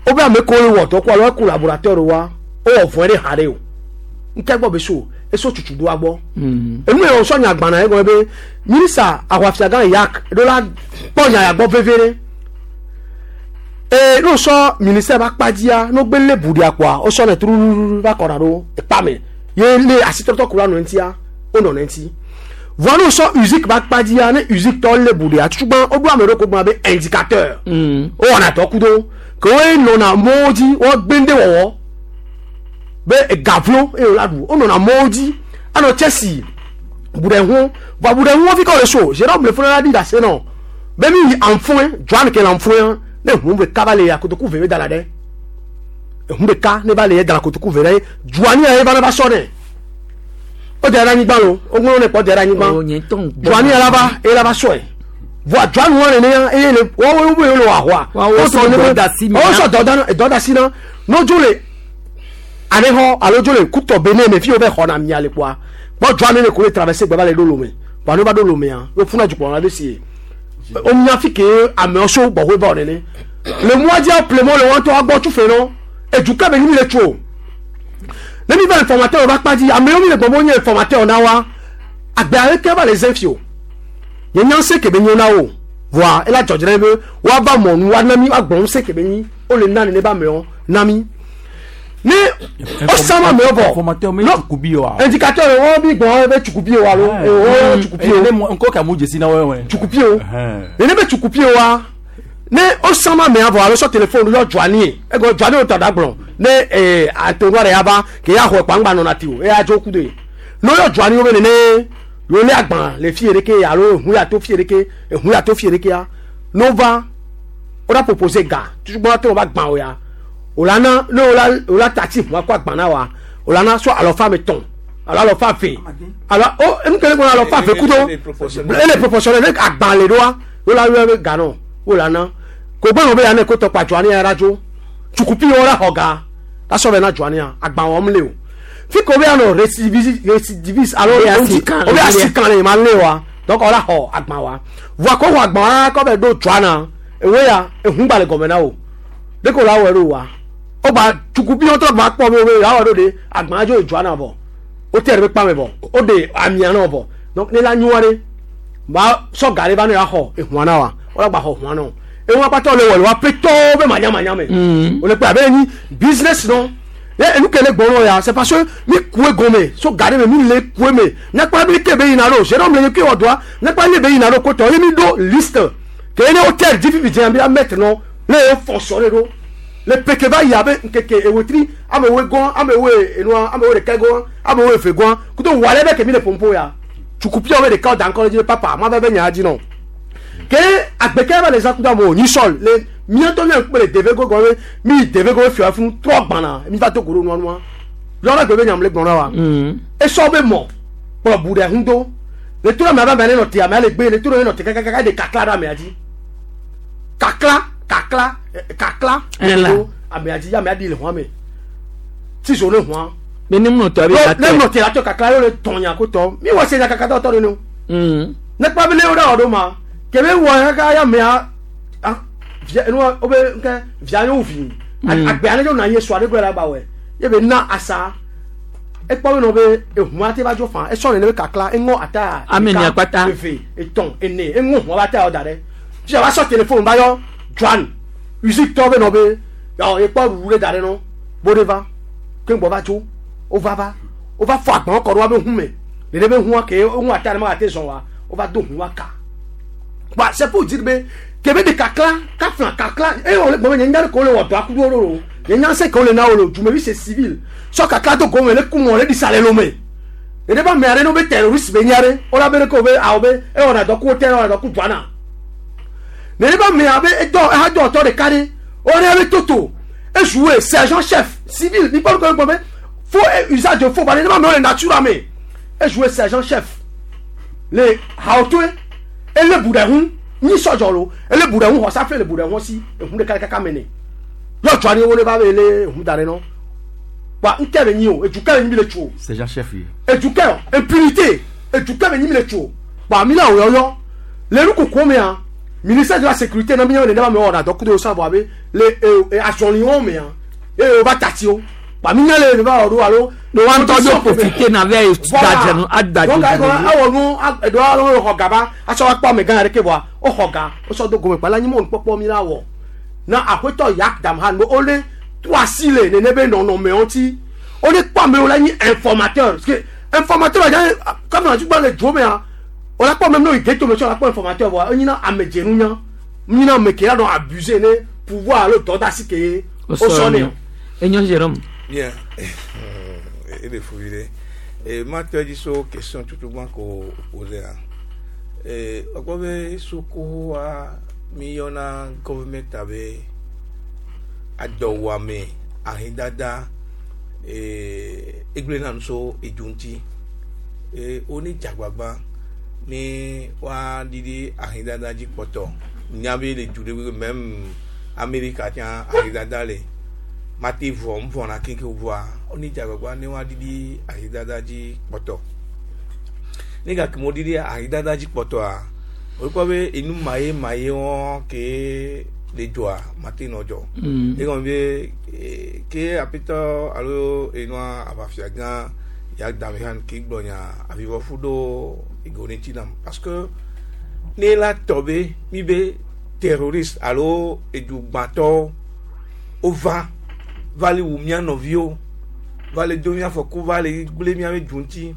wobe ame kewo le wɔ dɔ ko alo collaborateur wa wowɔ vɔe ɖe ha ɖe o ŋkɛ gbɔ be so eso tutu ɖoa gbɔ enu yɛ wòsɔ nya gbana ye gɔme be minista aʋafiagã yak ɖo la kpɔ nya ya gbɔ veve ɖe ee n'o sɔ ministère ba kpadzia n'o gbe lé buɖia kpoa wosɔ ne truɖuɖu va kɔna ɖo ekpa me ye lé asitɔtɔ ku la nɔ ŋutia wonɔ ne ŋuti vɔa n'o sɔ musique ba kpadzia ne musique tɔ lé buɖia tutugbã woɖo ame ɖewo ko gblɔna be indicateur wowɔna dɔ ku do ke woe nɔna mɔwo dzi woagbe ŋɖe wɔwɔ be egavlo eye wòla ɖu wonɔna mɔwo dzi anɔ tsɛsi buɖe hu vɔa buɖe hu fi ka wòle so Jérôme le fúnra la ɖi ɖase nɔ be mi yi anfɔe Joan ke le anfɔe ne hu ɖeka va le ya kotoku ve be da la ɖe ehu ɖeka ne va le ye da la kotoku ve ɖe Joan ya ye va ne va sɔ nɛ o da ɖe anyigba lo o ŋlɔ ne kpɔ da ɖe anyigba Joan ya la va eye la va sɔe vɔa Joan wa nene ya eye le wɔwo wo le wɔ ahoa Woawo sɔ dɔ da si mi wo na. sɔ dɔ da dɔ da si na n'odzo le anexɔ alo dzo le kutɔ be ne me fi wo bɛ xɔ na mia le kpoa kpɔ Joan ne ko le traverser gbɛ va le ɖo lome kpoa ne va ɖo lomea wo funa dukplɔ la ɖe si ye o mia fi ke amewo so gbɔƒe va o nene le mɔa dzi ƒle mɔ le wɔn tɔ agbɔ tu fe nɔ edu ke be mi le tso ne mi va informateur va kpa dzi amewo mi le gbɔgbɔ nye informateur na wa agbe aleke va le zẽ fi o nye nya se ke be nyo na wo voa ela dzɔdzɔ be woava mɔnu woana mi woagblɔ ŋusẽ ke be nyi wole na nene be amewo na mi ne osama amewo vɔ Informateur me tsukubi wa. indicateur wɔn bi gbɔn be tsukubi o alo wɔn tsukubi o Ne ŋkɔ ka mu dzesi na wɔn. tsukubi o nene be tsukubi wa ne osama amea vɔ alo sɔ téléphone yɔ dzuani ye egɔ dzuani wo tɔ da gblɔ ne ee atonua ɖe yaba ke ya xɔ kpangba nɔna ti o eya dzo ku de ne yɔ dzuani wo be nene yɔ lé agban le fie ɖeke alo ehu ya to fie ɖeke ehu ya to fie ɖekea ne wova wo la proposer ga tutugbɔn te wo va gbã o ya o la na ne o la o la tati ʋua kó agban na wa o la na sɔ alɔfa me tɔn Alo alɔ fa fe. Alo o enu kele kɔnɔ alɔ fa fe kudo. Ele proportionnel ne agban le ɖoa wo la yɔ be ganɔ wo la na. Ko gbɛnɔ be ya ne ko tɔkpa dzɔa ne ya la dzo. Tsukupi wo la xɔ ga. La sɔ bɛ na dzɔa ne ya agban wɔm le o. Fi ko be ya nɔ récidiviste récidiviste alo Obe asikan obe le. asikan le ma le wa. Donc o la xɔ agban wa. Voa ko xɔ agban wa kɔ bɛ ɖo dzɔa na. Ewe ya ehun gba le gɔmɛ na o. De ko la wɔ ɖo wa. O gba tsukupi wɔtɔ gba kpɔ be o be ya wɔ ɖo de agban dzo dzɔa na vɔ. O tɛ ɖe be kpame vɔ. O de amia na vɔ. Donc ne la nyua ɖe ba sɔ ga ɖe va ne ya xɔ ehua na wa. O la gba xɔ ehua na o. Ehua kpata le wɔ le wa petɔwo be manyamanya me. O le kpe abe nyi business nɔ. Ye enu ke le gbɔ nɔ ya c'est parce que mi kue gɔme so ga ɖe me mi le kue me. Nyakpa bi ke be yina ɖo Jérôme le nye ke wɔ doa nyakpa le be yina ɖo kotɔ ye mi ɖo liste ke ne hôtel dzi fifi dze bi amettre nɔ ne ye fonctionner ɖo le peke va yi abe nkeke ewetri amewoe gɔn amewoe enua amewoe ɖeka gɔn amewoe eve gɔn kudo wɔ ale be ke mi le pompo ya tsukupiawo be ɖeka da ŋkɔ ɖe dzi be papa ma va be nya dzi nɔ ke agbeke va le zã kudo amewo nyi sɔl le miatɔ mia kpe le deve go gɔn be mi deve go fia funu trɔ gbana mi va to go ɖo nua nua yɔrɔ gbe be nyam le gbɔn na wa esɔ be mɔ kplɔ bu ɖe ŋu do le to ɖe amea be amea ne nɔ te amea le gbe le to ɖe ne nɔ te kakakaka ɖe kakla ɖe amea dzi kakla kakla eh, kakla Ɛla. do amea dzi amea ɖi le xɔa me tizo ne xɔa Be ne mlɔ tɔ be ne atɔ. nɔ te la tɔ kakla yɔ le tɔnya ko tɔ mi wɔ se nya kaka tɔ tɔ ɖe no ne kpa be ne wo ɖe wɔ ɖo ma kebe wɔ kaka ya amea ah via enua wo be nke via yewo vi agbea ne dzo na ye sua ɖe gbe la ba wɔ ye be na asa ekpɔ be nɔ be ehua te va dzo fa esɔ nene be kakla eŋɔ ata Ame ɖeka, ene akpata. eve etɔ̃ ene eŋɔ hua ba ta yɔ da ɖe fia va sɔ telefone va yɔ Joan usine tɔ be nɔ be yɔ ekpɔ ɖuɖu ɖe da ɖe nɔ bo ɖe va ke ŋgbɔ va tso wova va wova fɔ agban kɔ ɖe wa be hu me nene be hua ke eŋu ata ɖe ma te zɔn wa wova do hu wa ka wa c'est pour dire be kebe de kakla kafla kakla eye wòle gbɔmɛ nye nya ɖe ko le wɔ dɔ akudo ɖo lo nye nya se ke wole na wo lo dumevi c'est civil sɔ kakla do gɔmɛ le kumɔ le ɖisa le lome nene ba mɛ aɖe ne wo be terroriste be nya ɖe wola be ɖe ke wo be awɔ be ewɔna dɔ ku wo tɛ ewɔna dɔ ku duana nene ba mɛ abe edɔ ehadɔ tɔ ɖeka ɖe wole be toto ezuwe sergent chef civil mi kpɔ ɖo gbɔmɛ faux et usage de faux ba nene ba mɛ wole nature me ezuwe sergent chef le haotoe ele bu ɖe ŋu nyi sɔdzɔ lo ele bu ɖe ŋu xɔsafle le bu ɖe ŋu si eŋu ɖeka ɖeka mene yɔ tsɔ ani wo ne va be ele eŋu da ɖe nɔ wa ŋutɛ be nyi o edukɛ be nyi mi le tso o Sergent chef ye. edukɛ o impunité edukɛ be nyi mi le tso o wa mi la o yɔyɔ le nukoko mea ministère de la sécurité na mi yɔ ne ba mi wɔ na dɔ kudo sa vɔ abe le e azɔliwo mea eye o va tati o wa mi nya le ne va wɔ ɖo alo. Ne wa ŋutɔ do profiter na vɛ dadze adadze. Donc awɔ nu eɖɔ alo xɔ gaba asɔ wa kpɔ ame gã ɖeke vɔa woxɔ ga wosɔ do gome kpa la nyi mɔnu kpɔkpɔ mi la wɔ na aƒetɔ yak dam han be wole to asi le nene be nɔnɔmewo ŋuti wole kpɔ amewo la nyi informateur parce que informateur la dza kɔmi na tukpa le dzo mea wòle kpɔ ame ne yi ghetto me tsɔ la kpɔ informateur vɔa enyina ame dzenunya nyina ame ke la nɔ abuse ne pouvoir alo dɔdasi ke ye wosɔ ne o. Enyo Jérôme. Bien. Ele fuvire. E ma tɔ dzi so question tutu gbã ko pose a. E ɔkpɔ be sukuwa mi yɔna government abe adɔwɔame ahidada e egblẽ na nu so edu ŋuti. E woni dzagbagba ni wa ɖiɖi ahidada dzi kpɔtɔ. Nya be le du ɖe même Amerika tsã ahidada le mate vɔ ŋvɔna kekeŋ vɔa woni dzagbagba ne wa ɖiɖi ahidada dzi kpɔtɔ. Ne gake mo ɖiɖi ahidada dzi kpɔtɔa wokpɔ be enu maye maye wɔn ke le dzɔa mate nɔ dzɔ. Egɔme be eh, ke aƒetɔ alo enua aʋafia gã ya dame han ke gblɔ nya avivɔfu ɖo ego ne ŋuti nam parce que ne la tɔ be mi be terroriste alo edugbãtɔwo wova va le wu mía nɔviwo va le do mía afɔku va le gblẽ míaƒe du ŋuti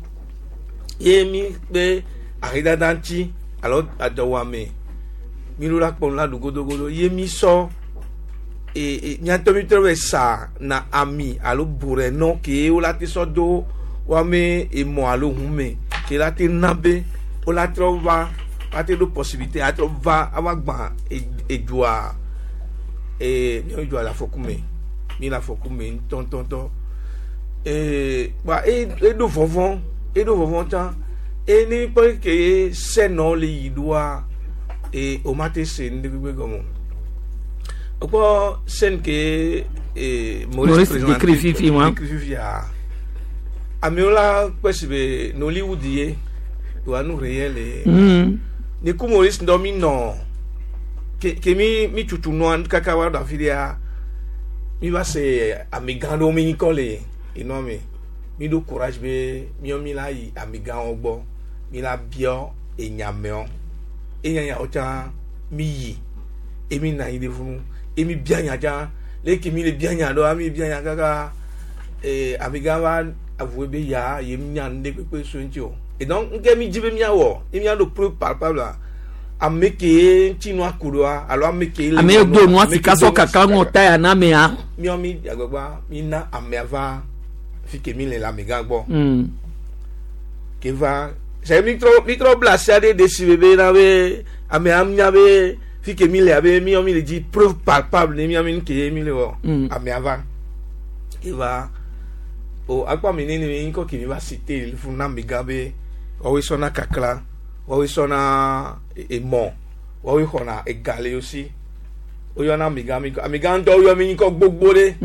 ye mi be ahedada ŋuti alo adɔwɔame mi ɖo la kpɔ nu la ɖu godogodo ye mi sɔ e e míatɔ mi trɔ be sa na ami alo buɖe ke wo la te sɔ do woame emɔ alo ʋu me ke la te na be wo la trɔ va la te ɖo possibilité atrɔ va ava gbã edua e míawo dua le afɔku me mi le afɔku me ŋutɔŋutɔŋutɔ. Ee kpa e eɖo vɔvɔ eɖo vɔvɔ tsã e ne kpɔ ke sɛnɔ le yi ɖoa e o ma te se nu ɖe gbegbe gɔme o. Okpɔ scène ke e Maurice décrit fifi wa. Décrit fifia. Amewo la kpɛ si be Nollywood ye wa nu réel le. Ni ku Maurice ŋdɔ mi nɔ ke ke mi mi tutu nua kaka wa ɖo afi ɖea mi va se amegã ɖewo mi ŋkɔ le enua me mi ɖo courage be miɔ mi la yi amegãwo gbɔ mi la biɔ enyamewo enyanyawo tsã mi yi emi na anyi ɖe funu emi bia nya tsã leke mi le bia nya ɖoa mi bia nya kaka ee amegã va avue be ya ye mi nya nu ɖe kpekpe so ŋuti o et donc nke mi dzi be miawɔ ye miaɖo preuve palpable la ame ke ŋuti nua ku ɖoa alo ame ke le Ame nua- do nua ame ke sika do sɔ kaka ŋɔ ta ya na mea. miɔ mi agbagba mi na amea va fi ke mi le le amegã gbɔ ke va sɛ mi trɔ mi trɔ bla asi aɖe ɖe si bebe na be amea nya be fi ke mi le abe miɔ mi le dzi preuve palpable ne miɔ mi nu ke ye mi le wɔ amea va ke va o akpɔ ame nene mi ŋkɔ ke mi va cité fún na amegã be woawoe sɔna kakla woawoe sɔna emɔ woawoe xɔna ega le wo si woyɔna amegã mi amegã ŋutɔ woyɔ mi ŋkɔ gbogbo ɖe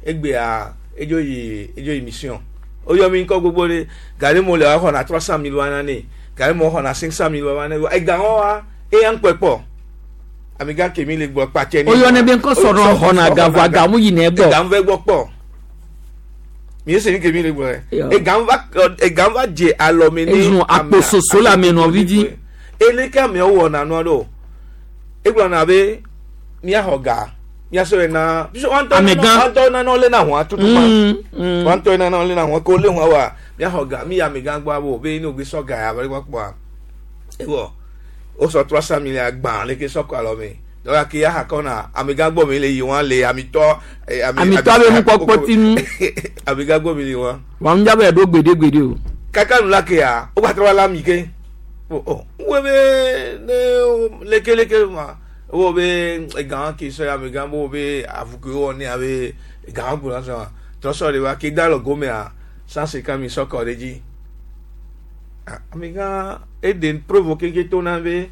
egbea edzo yi edzo yi mission woyɔ mi ŋkɔ gbogbo ɖe gari mo le wa xɔna 300 000 wa na ne gari mo xɔna 500 000 wa na ne ega wɔn wa eya ŋkpɛ kpɔ amegã kemi le gbɔ kpatsɛ O yɔ ne be ŋkɔ sɔrɔ xɔna gavɔ agamu yi ne gbɔ. Egam va gbɔ kpɔ mi ese ni kemi le gbɔ Yɔ. yɛ egam va egam va dze alɔme ne Ezu akpososo le ame nɔvi dzi. Eleke amewo wɔna nua ɖo egblɔna be miaxɔ ga miasɔ na Amegã. wɔntɔ nana lé na hɔn tutu ma wɔntɔ nana lé na hɔn ko lé hɔn wa miaxɔ ga mi amegã gbɔ abo be ne o sɔ ga ya va gbɔ kpɔa ewɔ o sɔ 300 000 agbã leke sɔ kɔ alɔme dɔwɔ ke ya ha kɔna amegã gbɔ mi le yi wɔn le amitɔ Amitɔ be nukpɔkpɔ ti nu. Amegã gbɔ mi le wɔn Wa ŋu dzabe ɖo gbeɖegbeɖe o. Kaka nu la ke ya o gba trɔ va la mi ke o o wo be ne leke leke ma wo be egã ke sɔ ya amegã bo be avuke wɔ ne abe egã gblɔ sɔ trɔ sɔ de wa ke da lɔ gomea 150 000 sɔ kɔ ɖe dzi. Ah, amegã ede preuve keke to na be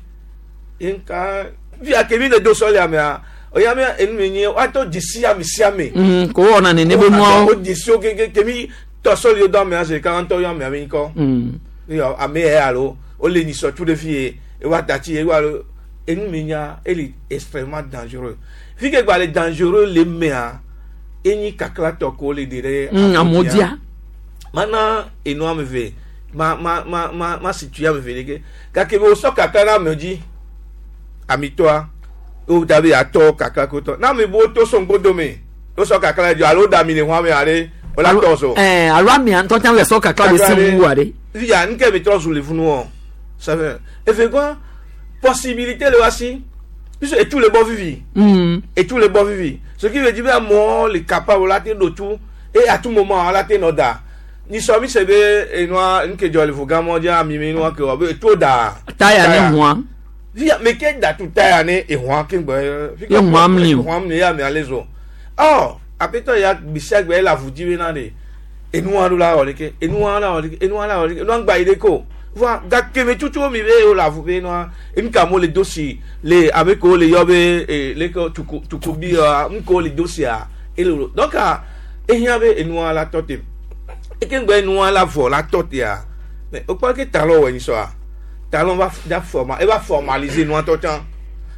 nka via ke mi le do sɔ le amea oya mi enu mi nye woatɔ dzesi ame sia ame. Ko wɔna nene be nuawo. O dzesi wo keke ke mi tɔ sɔli do amea se ka ŋutɔ yɔ amea mi ŋkɔ. Yɔ ame yɛ alo o le nyisɔ tu ɖe fi ye ewa dati ye ewa alo enu mi nya ele extrêmement dangereux fi ke gba le dangereux le mea enyi kaklatɔ ko le de ɖe. Amewo dia. Mana enu ame ve ma ma ma ma ma situe ame ve ɖeke gake be wosɔ kakla na amewo dzi amitɔa wo da be atɔ kakla ko tɔ na ame bo to so ŋgodo me wosɔ kakla dzi alo da mi le hɔn ame aɖe wòle atɔ so. Ɛɛ alo amea ŋutɔ tsã le sɔ kakla le si wu wa ɖe. Ya nke mi trɔ zu le funu wɔ sɛfɛ efe kɔ possibilité le wa si puisque etu le bɔ vivi. Etu le bɔ vivi, ce qui veut dire be amewo le capable la te ɖo tu et à tout moment la te nɔ da nisɔ mi se be enua nke dzɔ le vogamɔ dzi ami mi nua ke wɔ be etu da. Taya ne hɔa. Via me ke da tu taya ne ehɔa ke gbɛ. Ye hɔa mli o. Ehɔa mli ye ame ale zo ɔ apetɔ ya gbesiagbe ele avu dzi be na de enua ɖo la wɔ ɖeke enua la wɔ ɖeke enua la wɔ ɖeke enua gba yi ɖe ko voa gake me tutu mi be wo le avu be nua enu ka mo le do si le ame kewo le yɔ be ee leke tuku tukubi wa nu kewo le do sia ele wo donc ah, ehiã be enua la tɔ te eke ŋgbɛ enua la vɔ la tɔ tea mais wokpɔ ke talon wɔ nyisɔa talon va da forma eva formaliser nua tɔ tsã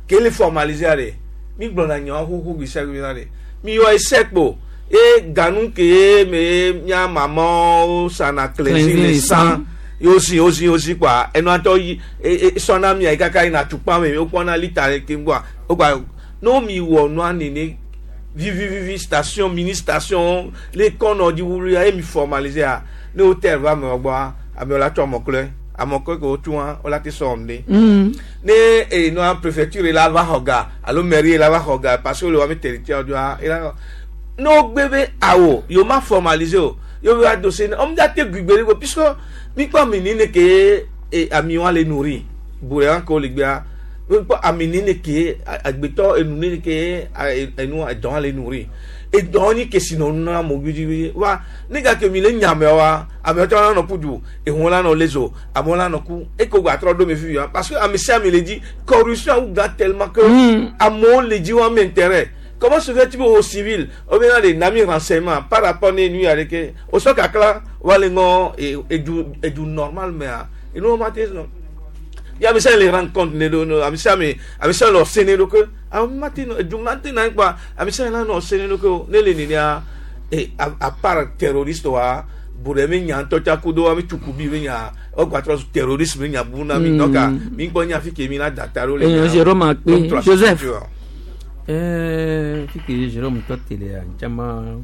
ke le formaliser ɖe mi gblɔna nyawo xoxo gbesiagbe na ɖe mi yɔ ese kpo ye ganu ke me mía mamawo sana cleansing le sang yóò si yóò si yóò si kpa enua tɔ yi e e sɔna mia yi kaka yina tukpa me wokpɔna lita ɖe ke ŋgɔa wogba no mi wɔ nua nene vivivivi station mini station le kɔnɔ dzi wuli ye mi formaliser a ne hotel va amewo gbɔa amewo la tsɔ amɔklɔe amɔklɔe ke wotu wa wola te sɔ wɔm de. Ne enua préfecture la va xɔ ga alo mairie la va xɔ ga parce que le wa mi territoire doa ela ne wogbe be awo yewo ma formaliser o yewo be wa dossier ne ɔmu dza te gbigbe ɖe go puisque mi kpɔ ami ni ne ke e ami wa le nourri bure wa ke wo le gbea mi kpɔ ami ni ne ke agbetɔ enu ni ne ke enu edɔn le nourri Edɔ nyi kesinɔnu na amewo gbidigbidi wa ne gake mi le nya amewoa amewo tsã la nɔ ƒu du ehun la nɔ le zo amewo la nɔ ku eko gba trɔ ɖo me fifi wa parce que ame sia ame le dzi corruption wu gã tellement que amewo le dzi wa ame intérêt. Comment se fait-il au civil o bɛ na de nami renseignement par rapport ne nu ya de ke o sɔ kakla wa le ŋɔ edu edu normal mea enu ma te nɔ ya ame sia le rendre compte ne do no ame sia ame ame sia le ɔse ne do ke ame ma te nɔ edu ma te na kpa ame sia la nɔ ɔse ne do ke o ne le nenia e à part terroriste wa buɖe mi nya ŋutɔ tsa kudo ame tsukubi mi nya ɔgba trɔ zu terroriste mi nya bu na mi. Donc mi gbɔ nya fi ke mi la da ta ɖo le nya. Jérôme Akpe Joseph. Fi ke Jérôme tɔ te lea ntsama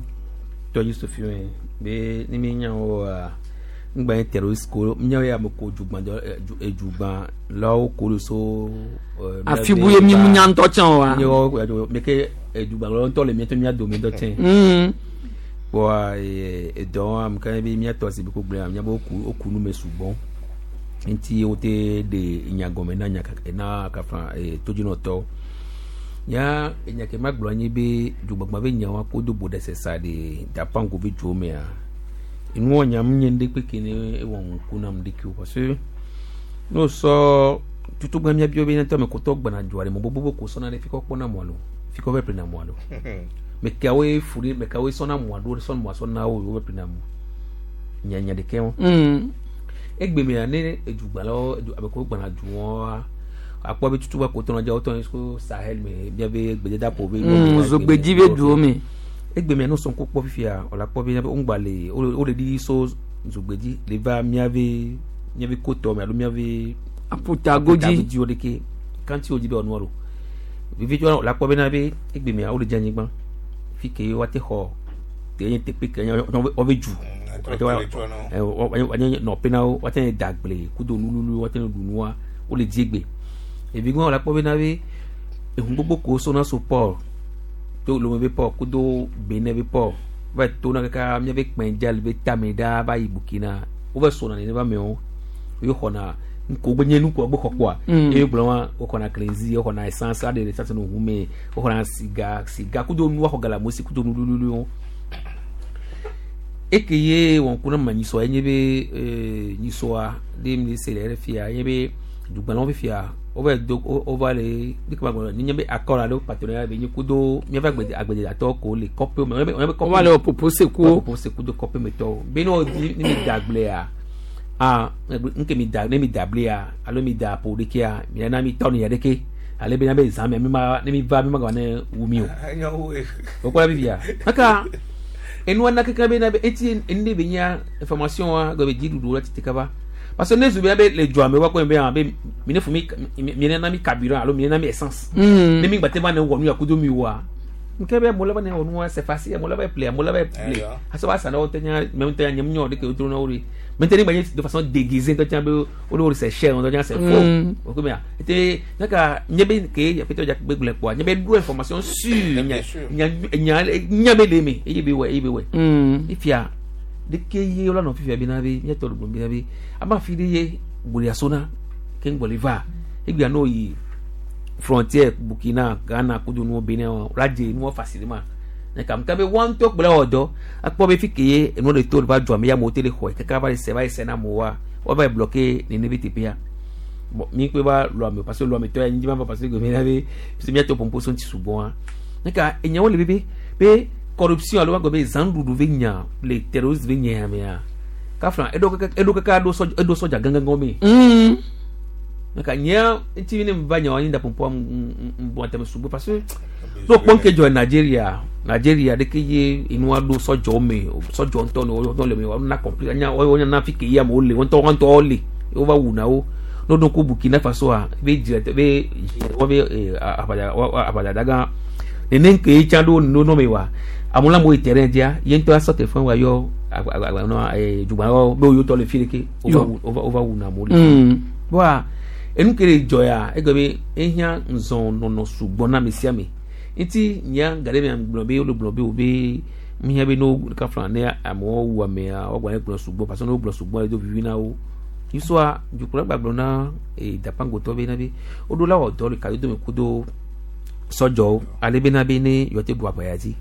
tɔ dzi sofi me be ne mi nya woa ŋgba nye terroriste ko míawo ya me ko dzugba edzugba lawo ko le so. Afi bu ye mi mu nya ŋutɔ tsã oa. Míawo mi ke edzugba lawo ŋutɔ le míatɔ mía dome ŋutɔ tsɛ. Kpɔa edɔ ame ka be míatɔ si be ko gblẽ míabe woku woku nu me sugbɔ ŋuti wote ɖe nya gɔme na nya na kafa todzinɔtɔwo ya enya ke ma gblɔ anyi be dzugbagba be nyawo ko do bo ɖe sesa ɖe dapango be dzo mea enuwɔ nyam nye ŋɖe kpeke ne ewɔ ŋku nam ɖeki o parce que ne wosɔ tutugba miabiɔ be nyatɔ ame kotɔ gbana dzoa ɖe mɔ gbogbo ko sɔna ɖe fi kɔ kpɔna mɔa lo fi kɔ vɛ ƒlena mɔa lo me keawoe fu ɖe me keawoe sɔna mɔa ɖo sɔna mɔa sɔna wo wo vɛ ƒlena mɔ nyanya ɖeke wɔn. Egbe mea ne edzugbalawo ame ko gbana du wɔa akpɔ be tutugba ko tɔnɔ dza wotɔ so Sahel me miabe gbedadaƒo be. Zogbedzi be duwo me. Egbe mea no sɔn ko kpɔ fifia wòle akpɔ be ŋgba le wole ɖiɖi so zogbedzi le va miabe miabe kotɔ me alo miabe. Aƒutagodzi. Aƒutagodzi wo ɖeke kanti wo dzi be wɔnua ɖo vivi tso wòle akpɔ bena be egbe mea wole dze anyigba fi ke woate xɔ te nye teƒe ke nye wobe dzu wanye nɔƒe na wo woate da agble kudo nululu woate ɖu nua wole dzi egbe evi gbɔn wòle akpɔ bena be ehun gbogbo ko sona so port to Lomé be port kudo Benin be port va to na kaka miabe kpɛndza le be tame ɖa va yi Burkina wova sona nene va mewo wo xɔna nko gbe nye nuko gbe xɔ kpɔa eye gblɔ wa woxɔna krenzi woxɔna essence aɖe essence no ʋu me woxɔna siga siga kudo nu waxɔ gala mosi kudo nululuwo eke ye wɔn ku na ma nyisɔa enye be nyisɔa ɖe mi se le fia enye be dugbalawo fifia wova do wova le dike ma gblɔ nye be accord alo partenariat be nye kudo miaƒe agbede agbededatɔwo ko le kɔƒe me wɔn be kɔƒe Wova le wɔ popo sekuwo. Popo seku do kɔƒe me tɔwo be ne wodi ne mi da agblea ah nke mi da ne mi da ablea alo mi da apo ɖekea mi na mi tɔ ne ya ɖeke ale be na be zã mea mi ma ne mi va mi ma gba ne wu mi o o kpɔ la fifia kaka enua na keke be na be eti enu ɖe be nya information wa gbe be dziɖuɖu la tete kaba parce que ne zu be be le dzoa me wa kɔ be be mi ne fu mi mi ne na mi carburant alo mi ne na mi essence ne mi gbate va ne wɔ nu ya kudo mi wa nke be amewo la va ne wɔ nua c'est facile amewo la va ple amewo la va ple asɔ va sa na wo ŋutɔ nya mɛ ŋutɔ nya nyɔ ɖeke wodro na wo ɖe maintenant ne gba de façon déguisée ŋutɔ nya be wo le c'est cher ŋutɔ nya c'est faux o ko mea ete naka nye be ke aƒetɔ dza gbe gblẽ kpɔa nye be ɖo information sûre nya nya nya nya be le me eye be wɔ eye be wɔ ifia ɖeke ye wola nɔ fifia bena be míatɔ le gblɔm bena be ama fi ɖe ye gbolia sona ke ŋgbɔ le va egbea n'o yi frontière Burkina Ghana kudo nuwo Benin wola dze nuwo facilement ne kam ka be wa ŋutɔ kple wɔ dɔ akpɔ be fi ke ye enuwo le to va dzɔ ame ya amewo te le xɔe kaka va le se va yi se na amewoa woava yi bloquer nene be teƒea bon mi kpe va lɔ ame parce que lɔ ame tɔ ya nyi ma va parce que gome la be parce que míatɔ pompo so ŋuti sugbɔa ne ka enyawo le bebe be corruption alo wa gbe be zanɖuɖu be nya le terroriste be nya ya mea kafla eɖo kaka eɖo kaka eɖo sɔdza eɖo sɔdza gãgãgã me. Nka nyea ŋuti ne va nya anyi da pompoa mbɔ atame sugbɔ parce que n'o kpɔ nke dzɔ Nigeria Nigeria ɖeke ye enua ɖo sɔdzɔ me sɔdzɔ ŋutɔ ne wɔn le me wɔn na compli anya wɔn na fi ke ye amewo le wɔn ŋutɔ wɔn ŋutɔ le wova wuna wo n'o do ko Burkina Faso a be dzi be wɔn be aʋadza aʋadzadagã nene ke tsã ɖo no me wa amewo la mo yi terrain dzia ye ŋutɔ asɔ telefone wa yɔ agba dzugba be wo tɔ le fi ɖeke wova wova wuna amewo le wa enu ke le dzɔ ya egbe be ehiã nzɔn nɔnɔ sugbɔ na ame sia ame ŋuti nya gaɖe me gblɔ be wole gblɔ be wo be mihiã be no kafla ne amewo wu amea woagba ne gblɔ sugbɔ parce que ne wogblɔ sugbɔ le do vivi na wo yusua dukplɔla gbagblɔ na ee dapangotɔ be na be woɖo la wɔ dɔ le kadodo me kudo sɔdzɔwo ale be na be ne yewoate ɖu aʋaya dzi.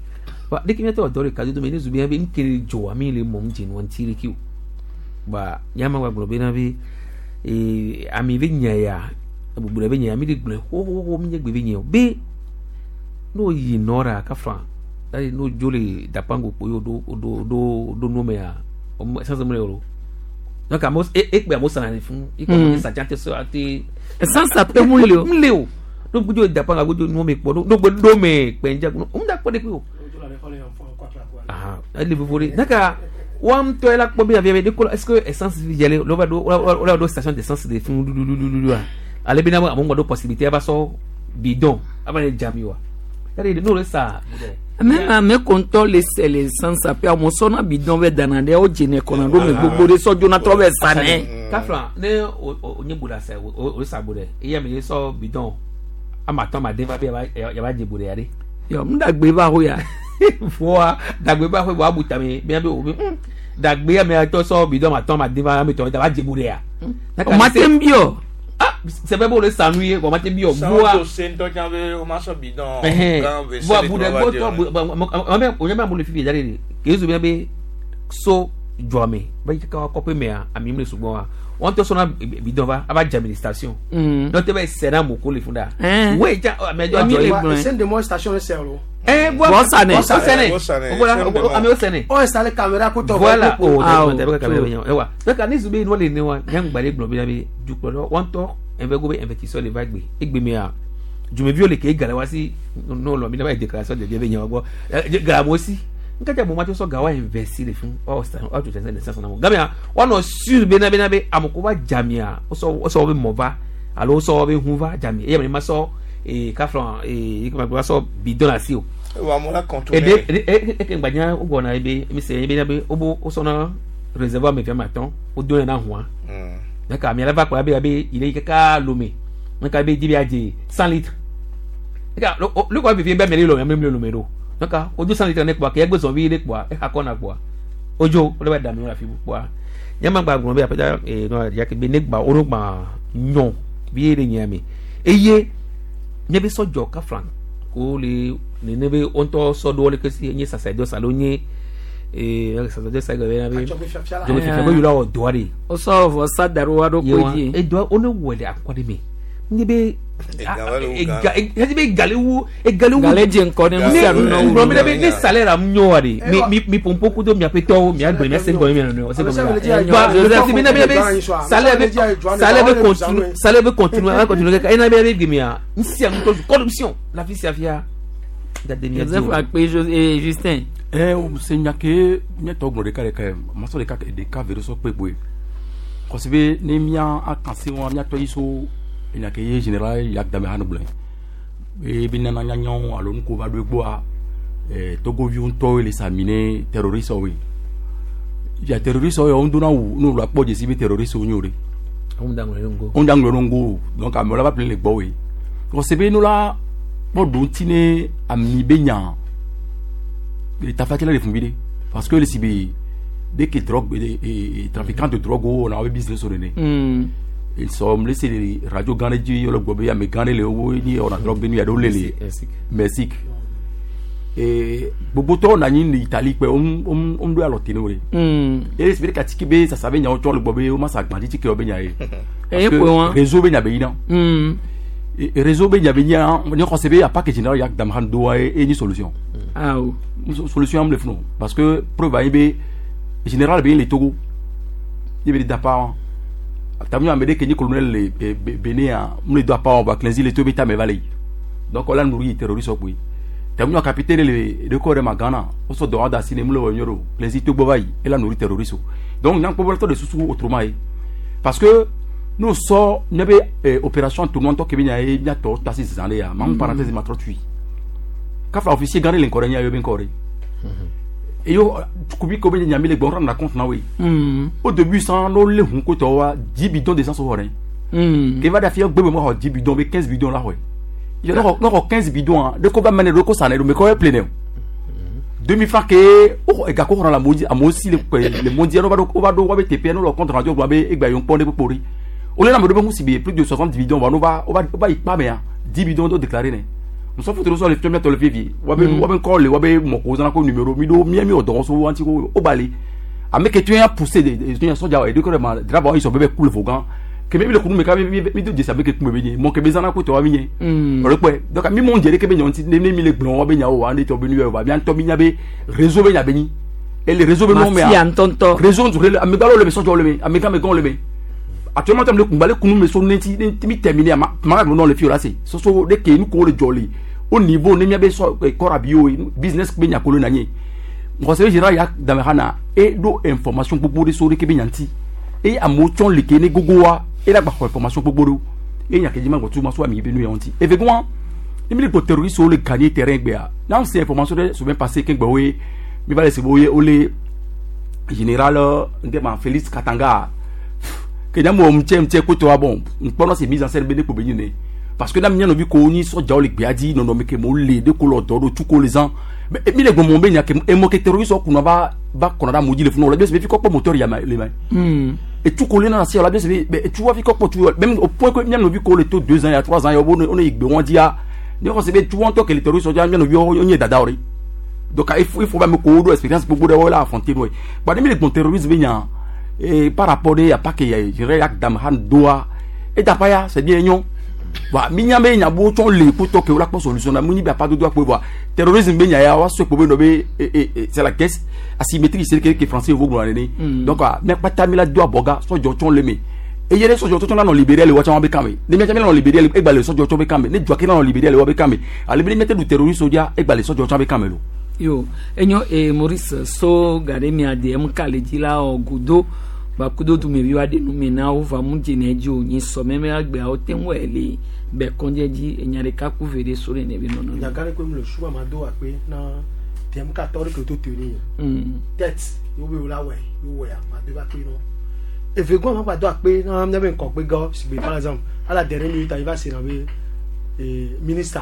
Wa ɖeke miatɔ dɔ ɖeka dodo me ne zu be be nke le dzɔa mi le mɔm dze nua ŋuti ɖeke o. Ba nyama gba gblɔ bena be ee ami be nya ya gbogbo ɖe be nya ya mi le gblɔe xoxoxo mi nye gbe be nya o be n'o yi nɔra kafa eye n'o dzo le dapango kpo ye o ɖo o ɖo o ɖo o ɖo nu mea o essence mu le o donc amewo e ekpe amewo sana le fún ikpe amewo sa dza te so ate. Essence ape mu le o. mu le o n'o gbodzo dapango gbodzo nu me kpɔ n'o gbe ɖo me kpɛndza o mu da kpɔ de kpe o. Ah, ele vovo ɖe naka wa ŋutɔ la kpɔ be avia be de ko est ce que essence fi dze le lo va ɖo wo la ɖo station d'essence de fún lulululua ale be na amewo ŋgɔ ɖo possibilité ava sɔ bidon ava le dzami wa yali n'o le sa. Même ame kontɔ le sɛ le essence ape amewo sɔna bidon vɛ dana ɖe wo dzene kɔna ɖo me gbogbo ɖe sɔ dzona trɔ vɛ sa nɛ. Kafla ne o o nye bo la sa o o sa bo ɖe eya me ye sɔ bidon ama atɔ ama den va be yaba yaba dze bo ɖe ya ɖe. Yɔ mu dagbe va ho ya. Fua dagbe ba ho wa bu tame mia be o be dagbe ame atɔ sɔ bidon ama atɔ ama den va ame tɔ yaba dze bo ɖe ya. O ma te bi o. Ah sɛbɛ bo le sanu ye o ma te bi o Sanwó bua. tó se ŋutɔ tsã be o ma sɔ bidon gã ve Bua se bu le ɖe trɔ va gbɔtɔ dze o. ame o nye be amewo le fifi dza ɖe de kezu bia be so dzɔame be kaka wa kɔƒe mea ami mu le sugbɔ wa wɔn tɔ sɔna bidon va ava dze ami le station. Mm. N'o tɛ bɛ sɛ na moko le fun da. Ɛn. Wo dza ame dɔ Ami dzɔ le ye. gblɔe. Send de moi station le sɛ o. Ɛn bɔ Bɔ sanɛ. Bɔ sanɛ. Bɔ sanɛ. Voilà, Send de moi. amewo sɛnɛ. On installe caméra ko tɔ. Voilà. Oh, Ah, d'accord, d'accord, true. d'accord, ewa. Donc ani zube no le ne wa nyangba le gblɔ be be dukplɔlɔ wɔntɔ ɛnvɛ go be investisseur le va gbe egbe mea dzumeviwo le ke gale wa si no lɔ mi ne va yi déclaration de bien be nyawo gbɔ gala mo si nkata mo ma to sɔ ga wa investi le fún wa stan wa tó sɛnsɛn le sɛnsɛn na mo gamia wa nɔ sur be na be na be amoko va dzamia wosɔ wosɔ be mɔ va alo wosɔ be hu va dzami eye ame ma sɔ ee kaflɔn ee ekema wa sɔ bidon la si o Wa mo la contourner. ede ede eke gbanya wogblɔna ye be mi se ye be na be wobo wosɔna réservoir me fiama tɔn wodo yɛn na hɔn donc ami ala va kplɔ abe abe ile yi kaka lome donc abe di bi adze 100 litres eka lukɔ vivi be ame le lome ame le lome ɖo donc wodo 100 litres ne kpɔa ke egbe zɔn vi ɖe kpɔa exa kɔ na kpɔa wodzo wole va dami wo le afi bu kpɔa nyama gba gblɔ be aƒeta ee nɔ yake be ne gba wo gba nyɔ bi ye ɖe nyia me eye nye be sɔdzɔ kafla ko le nene be wo ŋutɔ sɔ ɖo le kesi nye sacerdoce alo nye ee sacerdoce gbe be na be dzɔgbefifia be yula wɔ dɔa de Wosɔ vɔsa da ɖo wa ɖo yewa koe dzi. edɔa wo ne wɔ le akɔ ɖe me nye be Ega va le wo gã. ega ega be egale wu egale wu Gale dze ŋkɔ ne nu sia nu nɔ wu. gblɔ mi ɖe be ne salaire am nyɔ wa de mi mi mi pompo kudo miaƒe tɔwo miagblẽ mia se gɔme mia nɔnɔewo se gɔme la Joseph mi na be be salaire be salaire be continue salaire be continue a continue kaka ena be be gbemia n sia ŋutɔ zu corruption la fi sia fia dade mia Joseph akpe Justin. ɛ o se nya ke míatɔ gblɔ ɖeka ɖeka ye masɔ ɖeka ɖeka ve ɖe sɔ kpe kpoe kɔsi be ne mía akan se wa míatɔ yi so enya ke ye général yak dame hã gblɔe be be nana nyanyawo alo nuko va ɖo egbɔa ɛ togoviwo ŋutɔwoe le sa mi ne terroriste-woe ya terroriste-wo yawo ŋdona wu ne wòle akpɔ dzesi be terroriste-wo nyo ɖe Anw da ŋlɔ ɖe ŋgo. wo ŋda ŋlɔ ɖe ŋgo o donc amewo la va ƒle le gbɔwoe kɔsi be no la kpɔ ɖo ŋuti ne ami be nya tafatsi la le fun vi ɖe parce que le si be dès que drogue trafiquant de drogue wo wɔna wo be business wo nene ils sont le se le radio gã ɖe dzi yɔlɔ gbɔ be ame gã ɖe le wo ni wɔna drogue be nu ya ɖewo le le Mexique gbogbotɔwo nɔ anyi le Italie kpe wo wo ɖo alɔ te ne wo ɖe eye si be ɖeka tiki be sasa be nyawo tsɔ le gbɔ be wo ma sa gbã titi ke wo be nya ye Eye parce que kpe wa. réseau be nya be yina réseau be nya be yina ne xɔse be apa ke général yak damhan do wa ye ye nyi solution Awo. Solution am le funu parce que preuve ayi be général be yin le Togo ye be da pa tamu ame ɖe ke nyi colonel le Benin a mu le do apa wa cleansi le to be ta me va le yi donc ɔla nuri terroriste kpoe tamu capitaine le de ko ɖe ma Ghana wosɔ dɔ wa da si ne mu le wɔ nyɔ do cleansi to gbɔ va yi ela nuri terroriste o donc nyankpɔ bɔ tɔ de susu autrement ye parce que n'o sɔ ne be opération tournoi tɔ ke be nya ye miatɔ ta si zan de ya ma mu parenthèse ma trɔ tui kafla officier gã ɖe le ŋkɔ ɖe nya yɔ be ŋkɔ ɖe eyo kubi ko be nyami le gbɔ rendre compte na woe au début san n'o le hun ko tɔ wa 10 bidons d'essence wɔ ɖe ke va da fia gbegbe mo xɔ 10 bidons be 15 bidons la xɔe yɔ ne xɔ 15 bidons a de ko va mene de ko sa ne do me ko ye plein ne o 2000 francs ke o xɔ ega ko xɔna la amewo dzi amewo si le kpe le mɔ dzia ne wo va ɖo wo va be teƒea ne wo le compte rendu gblɔ be egba yewo kpɔ ne kpokpo ɖi wo le na ame ɖewo be ŋu si be plus de 60 bidons wa ne wo va wo va wo va yi kpa mea 10 bidons do déclaré ne Musɔfo toro sɔ le fiɔ miatɔ le fiefi. Wabe wabe ŋkɔ le wabe mɔko zana ko numéro mi do mia mi wɔ dɔwɔso wanti ko o bali. Ame ke tún ya poussé de de tún ya sɔdza edo kɔ de ma draba yi sɔ bɛ bɛ ku le fo gan. Kebe mi le kunu me ka mi mi mi do dzesi abe ke kun be nye mɔ ke be zana ko tɔ wa mi nye. Ɔlɔ kpɛ donc mi mɔ dze ke be nyɔ ŋuti ne mi le gblɔ wa be nyawo wa ne tɔ be nu yɛ wa mi ŋutɔ mi nya be réseau be nya be nyi. Et le réseau be nɔ mea. Mafia ŋutɔŋutɔ. Réseau ŋutɔ amegãwo le me sɔdzɔwo le me amegãmegãwo le me. Actuellement tam le kunba le kunu me so ne ti ne ti mi terminé ma ma nɔ le fi o la se soso de ke nu ko le jɔ le au niveau ne mia be sɔ kɔra bi o business be nya kolo na nye conseiller général ya dame hana e do information gbogbo de so de ke be nyanti e amewo tsɔ le ke ne gogo wa e la gba xɔ information gbogbo ɖo e nya ke dzi ma gbɔ tu ma so ami be nu ya ŋuti eve gɔn ne mi le gbɔ terroriste wo le gagner terrain gbea n'an se information ɖe semaine passée ke gbɔ woe mi va le se bo ye wo le général nke ma Félix Katanga ke nya mo mtse mtse ko to bon nkpɔnɔ se mise en scène be ne ko be nyine parce que na mi nɔvi ko ni sɔdzawo le gbea dzi nɔnɔme ke mo le de ko lɔ dɔ ɖo tu ko le zã mais mi le gbɔmɔ be nya ke emɔ ke terroriste wo kunna va va kɔnɔ ɖe amewo dzi le funu la bi fi kɔ kpɔ moteur ya ma le ma et tout collé dans la la bi mais tu vois fi kɔ kpɔ tu même au point que mi nɔvi ko le to 2 ans ya 3 ans ya wo ne yi gbe wɔn dia ne kɔ se be tu wɔn tɔ ke le terroriste dia mi nɔvi wo nye dada o de donc il faut ba me ko do expérience gbogbo de wo la affronter no ba ne mi le gbɔn terrorisme be nya et par rapport de ya pas que ya je yak dam han doa et d'apaya c'est bien nyon wa mi nya be nya bo tson le ko to ke la ko solution na mu ni ba pa do do ko wa terrorisme be nya ya wa so ko be no be c'est la caisse asymétrie c'est que français vous glo ne donc me pata mi la do aboga so jo tson le me e yere so jo tson la no libérer le wa tson be kan me ne mi la no libérer le e gba le so jo tson be kan me ne jo ke la no libérer le wa be kan me ale be mette du terrorisme dia e gba le so jo tson be kan me lo yo enyo e Maurice so gare mi ade m kale dzi la ɔ godo bakudo dumevi wa ɖe nume na wo va mu dzene dzi o nyi sɔ mɛmɛ agbeawo te ŋu le bɛ kɔndze dzi enya ɖeka ku ve ɖe so ɖe ne be nɔnɔ. Nyagã ɖe koe mu le su ama do akpe na tɛm ka tɔ ɖe ke to te ni. Tɛt yewo be wo la wɔe yewo wɔe ama do akpe nɔ. Eve gɔn ma gba do akpe na miabe ŋkɔgbe gɔ sigbe par exemple ala dernière minute ayi va se na be ministre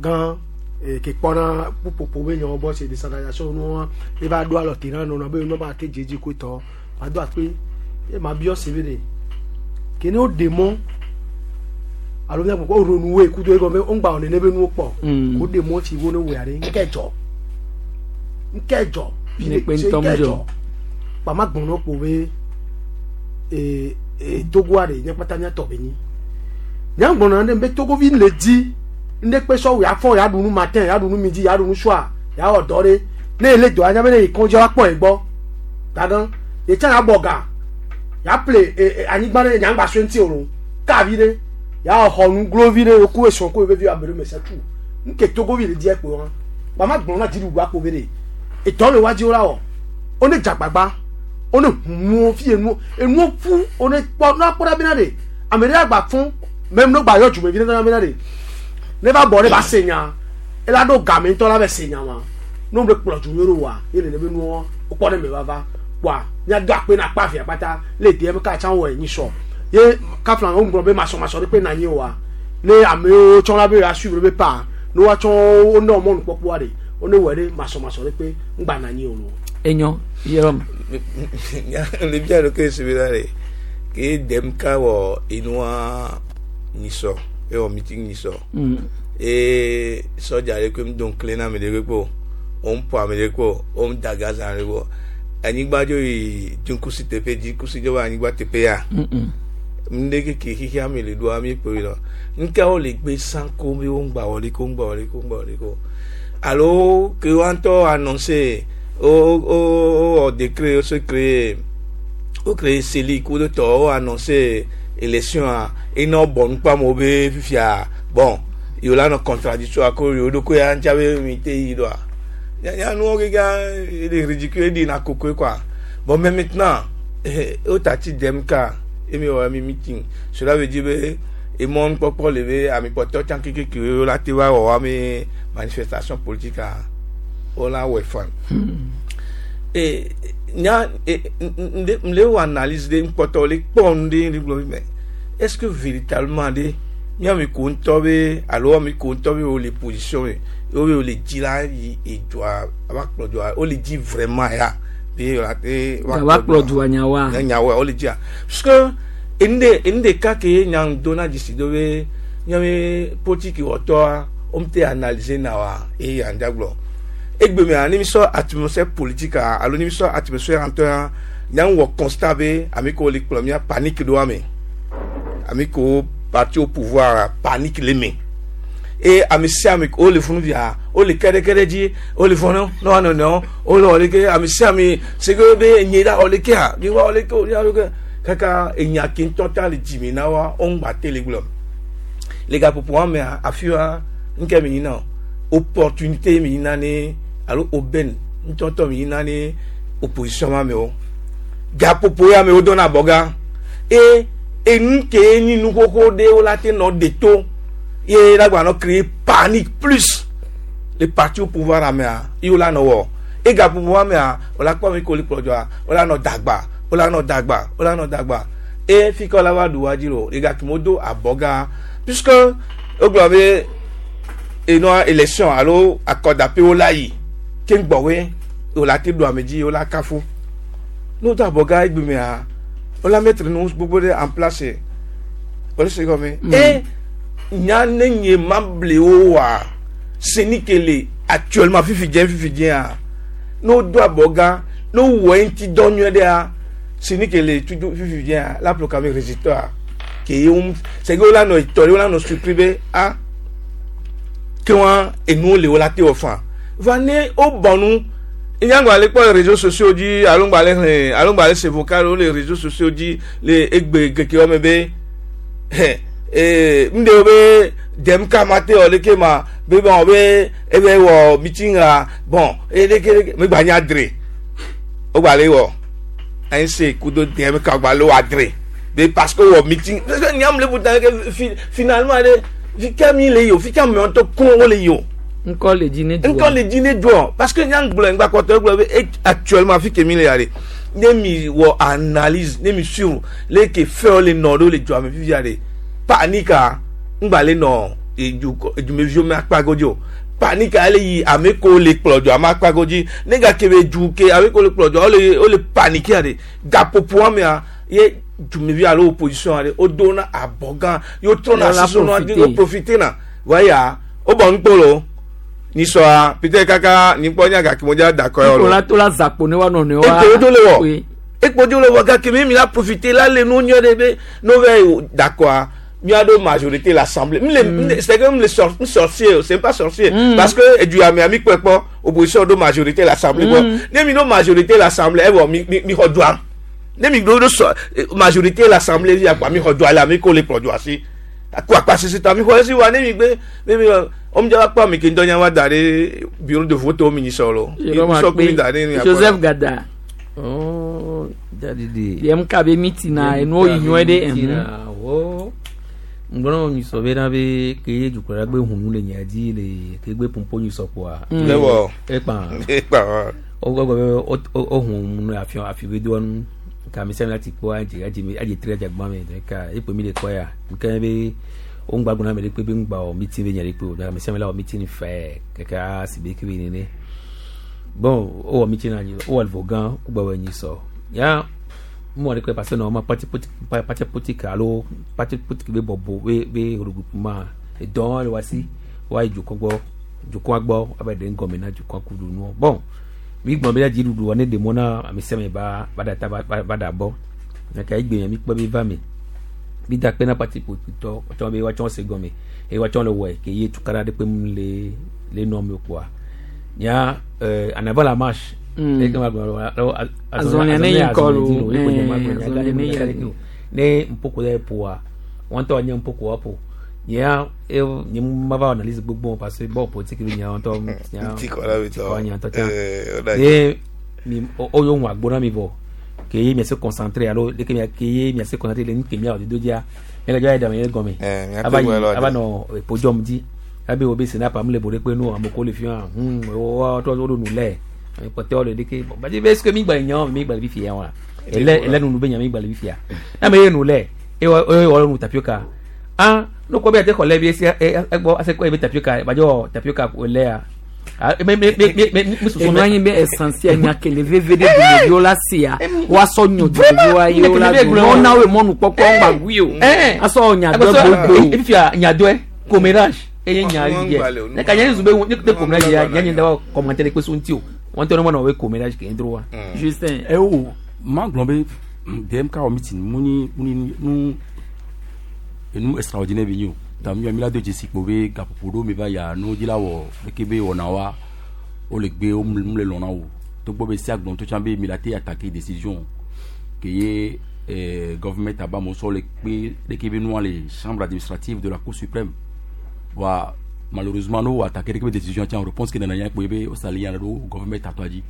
gã ke kpɔna kpukpopo be nyawo bɔ se décentralisation nua eva do alɔ te na nɔnɔ be nɔ ba te dzedze koe tɔ ma do akpe e ma biɔ se be de ke ne wo ɖe mɔ alo mia kpɔkpɔ ronu woe kudo egɔme wo ŋgba wɔ nene be nuwo kpɔ ko ɖe mɔ tsi wo ne wɔ ya ɖe ŋkɛ dzɔ ŋkɛ dzɔ Ne kpe ŋutɔ mu dzɔ. kpama gbɔnɔ kpo be ee ee togoa ɖe nye kpata mia tɔ be nyi nya gbɔnɔ ɖe be togovi le dzi ŋɖe kpe sɔwɔ ya fɔ ya ɖu nu matin ya ɖu nu midi ya ɖu nu soir ya wɔ dɔ ɖe ne ele dɔ anya be ne yi kɔndzi wa kpɔ egbɔ gagã yetsa ya bɔ ga ya ple ee anyigba ɖe nyagba sue ŋuti o lo kavi ɖe ya wɔ xɔ nu glovi ɖe oku esɔn ko evevi abe ɖe me se tu nke togovi le di ekpo hã kpama gblɔ na dziɖuɖu akpo be ɖe etɔ le wa dzi wo la wɔ wo ne dzagbagba wo ne hu nuwo fi enuwo enuwo ƒu wo ne kpɔ ne akpɔ ɖa bena ɖe ame ɖe agba fún mɛ ne gba yɔ dzumevi ne ɖe bena ɖe ne va bɔ ne ba se nya ela ɖo game ŋutɔ la bɛ se nya ma ne wo le kplɔ dzu yɔrɔ wa ye nene be nuwo wokpɔ ne me va va kpoa míado akpe na akpa via kpata le deɛ be katsa wɔ enyi sɔ ye kafla wo ŋgblɔ be masɔmasɔ ɖe kpe na anyi wa ne amewo tsɔ la be ya suivre be pa ne woatsɔ wo ne mɔnu kpɔkpɔa ɖe wo ne wɔ ɖe masɔmasɔ ɖe kpe ŋgba na anyi o lo. Enyo Jérôme. Le bia ɖo ke se be la ɖe ke dem ka wɔ enua nyisɔ ewɔ meeting nyisɔ. Eye sɔdza ɖe koe do ŋkle na ame ɖe kpo wo ŋu ƒo ame ɖe kpo wo ŋu da gaz ame ɖe kpo anyigba dzo yi dzikusi teƒe dzikusi dzo va anyigba teƒe ya ŋɖe keke xixia me le ɖoa mi kpo yi lɔ ŋke wo le gbe sã ko be wo ŋgba wɔ ɖi ko ŋgba wɔ ɖi ko ŋgba wɔ ɖi ko alo ke wa ŋutɔ annoncé wo wo wɔ décret wo se créé wo créé CELI ku ɖe tɔ wo annoncé élection a ena bɔ nukpa amewo be fifia bon yewo la nɔ contradiction ko yewo ɖo ko ya ŋutia be mi te yi ɖoa ya nuwo keka ele ridicule eɖi na kokoe quoi bon mais maintenant wo tati dem ka emi wɔ mi meeting cela veut dire be emɔ nukpɔkpɔ le be ame kpɔtɔ tsã kekeke wo la te va wɔ wa mi manifestation politique a wo la wɔe fan e nya e nde wɔ analyse de nkpɔtɔ le kpɔ nu de le gblɔ mais est-ce que véritablement de miame ko ŋutɔ be alo ame ko ŋutɔ be wo le position me wo be wo le dzi la yi edzoa ava kplɔ dzoa wo le dzi vraiment ya be la te va kplɔ dzoa nyawoa nyawoa wo le dzia parce que enu ɖeka ke nya dona dzesi do be miame politiki wɔtɔa womte analyser na wa eye andagblɔ egbemea ne mi sɔ atmosphère politique alo ne mi sɔ atmosphère ŋutɔ nyaŋu wɔ constat be ame kewo le kplɔ mía panique ɖo ame ame kewo parti au pouvoir panique le me eye ame sia ame wo le funu via wo le kɛɖɛkɛɖɛ dzi wo le fɔnɔ ne wa nɔnɔewo wo le wɔ leke ame sia ame se ke be nye la wɔ lekea nye wa wɔ leke o nye wa leke kaka enya ke ŋutɔ ta le dzime na wa wo ŋgba te le gblɔ le gaƒoƒo wa mea afi wa ŋkɛ mi yina o opportunité mi yina ne alo aubaine ŋutɔŋutɔ mi yina ne opposition ma me o gaƒoƒo ya me wo dɔna abɔga eye enu ke nyi nu xoxo ɖewo la te nɔ de to ye la gba nɔ créer panique plus le parti au pouvoir amea ye wo la nɔ wɔ e gaƒoƒo wa mea wo la kpɔ ame ko le kplɔ dzɔa wo la nɔ dagba wo la nɔ dagba wo la nɔ dagba e fi ke wo la va ɖu wa dzi lo le gake me wodo abɔga puisque wogblɔ be enɔa élection alo akɔdaƒewo la yi ke ŋgbɔwoe wo la te ɖu ame dzi wo la kafu ne wodo abɔga egbe mea wo la mettre nu gbogbo ɖe en place wole se gɔme e nya ne nye ma ble wo wa seni ke le actuellement fifi dze fifi dzea ne wodo abɔga ne wowɔ eŋuti dɔ nyuie ɖea seni ke le tutu fifi dzea la proclame résultat ke ye wo c'est que wo la nɔ etɔ ɖe wo la nɔ surpris be ah ke wa enuwo le wo la te wɔ fa va ne wo bɔ nu nyagba le kpɔ le réseaux sociaux dzi alo ŋgba le xlẽ alo ŋgba le se vocal wo le réseaux sociaux dzi le egbe keke wɔme be ee ŋɖewo be dem kama te wɔ leke ma be bon be ebe wɔ meeting a bon eye leke leke megba nya dre wogba le wɔ anyi se kudo dem ka gba le wɔ adre be parce que wɔ meeting parce que nyam le buta ke fi finalement ɖe fika mi le yi o fika mi ŋutɔ ko wo le yi o. Ŋkɔ le dzi ne dua. Ŋkɔ le dzi ne dua parce que nyam gblɔ ŋgba kɔtɔ gblɔ be actuellement fi ke mi le ya de ne mi wɔ analyse ne mi suivre le ke fɛnwo le nɔ ɖo le dua me fifia de panika ŋgba le nɔ edu edumeviwo me akpa godzi o panika le yi ame kewo le kplɔ dua me akpa godzi ne gake be du ke ame kewo le kplɔ dua wole wole panikia de gaƒoƒoa mea ye dumevi alo opposition aɖe wodo na abɔ gã ye wotrɔna Wola asi nua profiter. wo profiter na vɔ eya wobɔ nukpolo nyisɔa peut-être kaka nyikpɔ nya gake mo dza da kɔ yɔ Ko la to la zakpo ne wa nɔ nɔewo. ekpo dzo le wɔ ekpo dzo le wɔ gake mi mi la profiter la le nu nyuie ɖe be no va yi dakɔa miaɖo majorité l'assemblée mi le mi le c'est que mi le sor mi sorcier c'est pas sorcier parce que eduya mea mi kpɔe kpɔ opposition ɖo majorité l'assemblée gbɔ ne mi ɖo majorité l'assemblée evɔ mi mi mi xɔ dua ne mi ɖo ɖo sɔ majorité l'assemblée via kpa mi xɔ dua le ami ko le kplɔ dua si ko akpa sisi ta mi xɔ esi wa ne mi gbe ne mi wɔn mi dza va kpɔ ami ke ŋdɔ nya wa da ɖe bureau de vote wo mi nyi sɔ lo Jérôme sɔ mi da ɖe Akpe, Joseph Gada. Oh, dadidi. Yem ka be meeting na enuwo yi nyuie ɖe. Meeting wo. Ŋgbɔnɔ nyisɔ be na be ke ye dukɔla gbe hunu le nya dzi le ke gbe pompo nyisɔ kpoa. Ne wɔ. Ekpa. Ekpa wa. O gbɔgbɔ be o o hun nu afi afi be doa nu. Ka mi sɛm la ti kpɔ adze adze mi adze tri adze gbã me ka ekpe mi le kɔ ya. Nke be o ŋgba gbɔna me ɖe kpe be ŋgba wɔ meeting be nya ɖe kpe o. Ka mi sɛm la wɔ meeting fɛ keke a si be kebe nene. Bon o wɔ meeting na nyi o wɔ vɔ gã o gbɔ wɔ nyisɔ. Ya mɔ ɖe kpe parce que normalement parti politique parti politique alo parti politique be bɔbɔ be be regroupement edɔn le wa si wa yi dukɔ gbɔ dukɔa gbɔ abe ɖe ŋgɔme na dukɔa kudu nuɔ bon mi gbɔn be dziɖuɖu wɔ ne ɖe mɔ na ame sia ame ba ba da ta ba ba ba da bɔ gake egbe mi kpɔ be va me mi da kpe na parti politique tɔ tsɔ be woatsɔ se gɔme eye woatsɔ le wɔe ke ye tukaɖa ɖe kpe mu le le nɔ me kpoa nya en avant la marche. E kama gblɔ alo Azɔlia ne yi ŋkɔ lo. Azɔlia ne yi. Ne mpoko ɖe ƒoa wɔn ŋutɔ nye mpoko wa ƒo nyea e nye ma va analyse gbogbo parce que bon politique bi nya ŋutɔ nya Ŋuti kɔ la bi tɔ. nya ŋutɔ tsa o da ne mi o yo ŋu agbo na mi vɔ ke ye mia se concentré alo leke mia ke ye mia se concentré le nu ke mia wɔ dodo dzia mia gadzɔ ayi dame ye gɔme mia ava te yi wɔ lɔ ava de. nɔ podium dzi abe wo be sénat mu le bo ɖe kpe nu ame ko le fi hã hum wo trɔ wo ɖo nu lɛ kpɔtɔewo le ɖeke bon badi be est ce que mi gba le nya mi gba le fifia wa ele ele nunu be nya mi gba le fifia na me ye nu lɛ eye wɔ nu tapioca ah no kɔ be ate xɔ lɛ bi esi egbɔ ase kɔ ye be tapioca badzɔ tapioca ko lɛa ah me me me me me susu Enu anyi be essentiel nya kele veve ɖe dumeviwo la sia woasɔ nyɔ dumeviwoa ye wo la do ne wona woe mɔnukpɔkpɔ ŋgba gui o asɔ nya dɔ gbogbo. Efifia nyadɔe commérage Eye nya Wọn yɛ gbalẹ̀ o, ne ka nya zu be ne ne ko mɛ ya nya nye da commentaire kpe so ŋuti o wɔn tɔ ne ma na o be ko mɛ la ke dro wa. Justin. ẹ o ma gblɔ be DMK wɔ meeting mu ni mu ni nu enu extraordinaire bi nyi o ta mi mi la do dzesi kpo be gaƒoƒo ɖewo mi va ya nu dzi la wɔ leke be wɔna wa wo le gbe wo mu le lɔna o togbɔ be sia gblɔ to tsã be mi la te attaquer décision ke ye government aba mo sɔ le kpe leke be nua le chambre administrative de la cour suprême wa malheureusement no attaquer leke be décision tsã réponse ke nana nya kpo ye be wo sali nya ɖo government atɔa dzi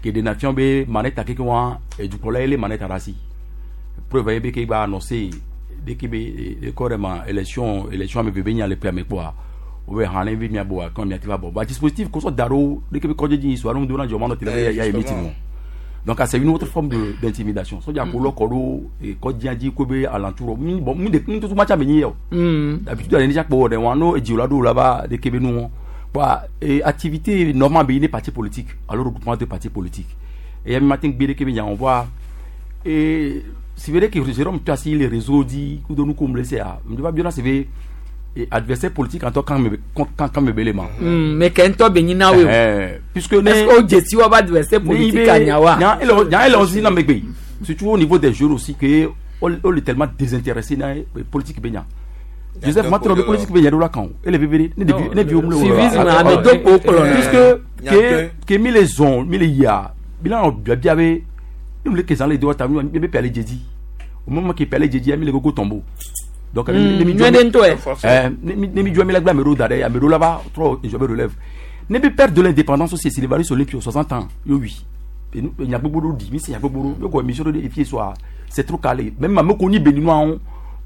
ke ɖena fia be manette keke wa edukplɔla ye le manette ɖe asi preuve ye be ke gba annoncé dès que be ekɔ ɖe ma élection ame veve nya le ƒea me kpɔa wo be hã ne be mia bɔ kɔn mia ti va bɔ ba dispositif kosɔ da ɖo dès que be kɔdze dzi so alo do na dzɔ ma nɔ tele be ya ye meeting o donc c'est une autre forme de d'intimidation sɔdza ko lɔ kɔ ɖo kɔdzia dzi ko be alentour mi bon mi de mi tutu ma tsa me nyi yɛ o d'habitude ale ni kpɔ ɖe wa no edzi la ɖo la va dès que be nu wɔn bon et activité normale be ne parti politique alors regroupement de partis politiques et mi matin gbe que be nya on voit et c'est vrai que Jérôme tu as si les réseaux dit ou de nous comme laisser à me va bien c'est vrai et adversaire politique en tant quand me quand me belema Mais kɛntɔ be nyina we o. Puisque ne Est-ce que o jesi wa ba adversaire politique anya wa? nya ele nya ele aussi na megbe surtout au niveau des jeunes aussi que on est tellement désintéressé na politique benya Joseph Matro be politique benya do la kan ele vivre ne vi o Civisme, ame do kpo kplɔ na. puisque que mi les zon mi les ya bilan bia bia be nous les kesans les doigts ta mi be pele jeudi au moment qui pele jeudi mi les gogo tombeau donc nyuie ɖe ŋutɔ yɛ. Ne mi jɔ mi la gba ame ɖewo da ɖe ame ɖewo la va trɔ je me relève ne bi perte de l'indépendance aussi Sylvanus Olympio 60 ans yo wi nya gbogbo ɖo di mi se nya gbogbo ɖo yo kɔ émission ɖo de efie soa c'est trop calé même ame ko ni béninois wo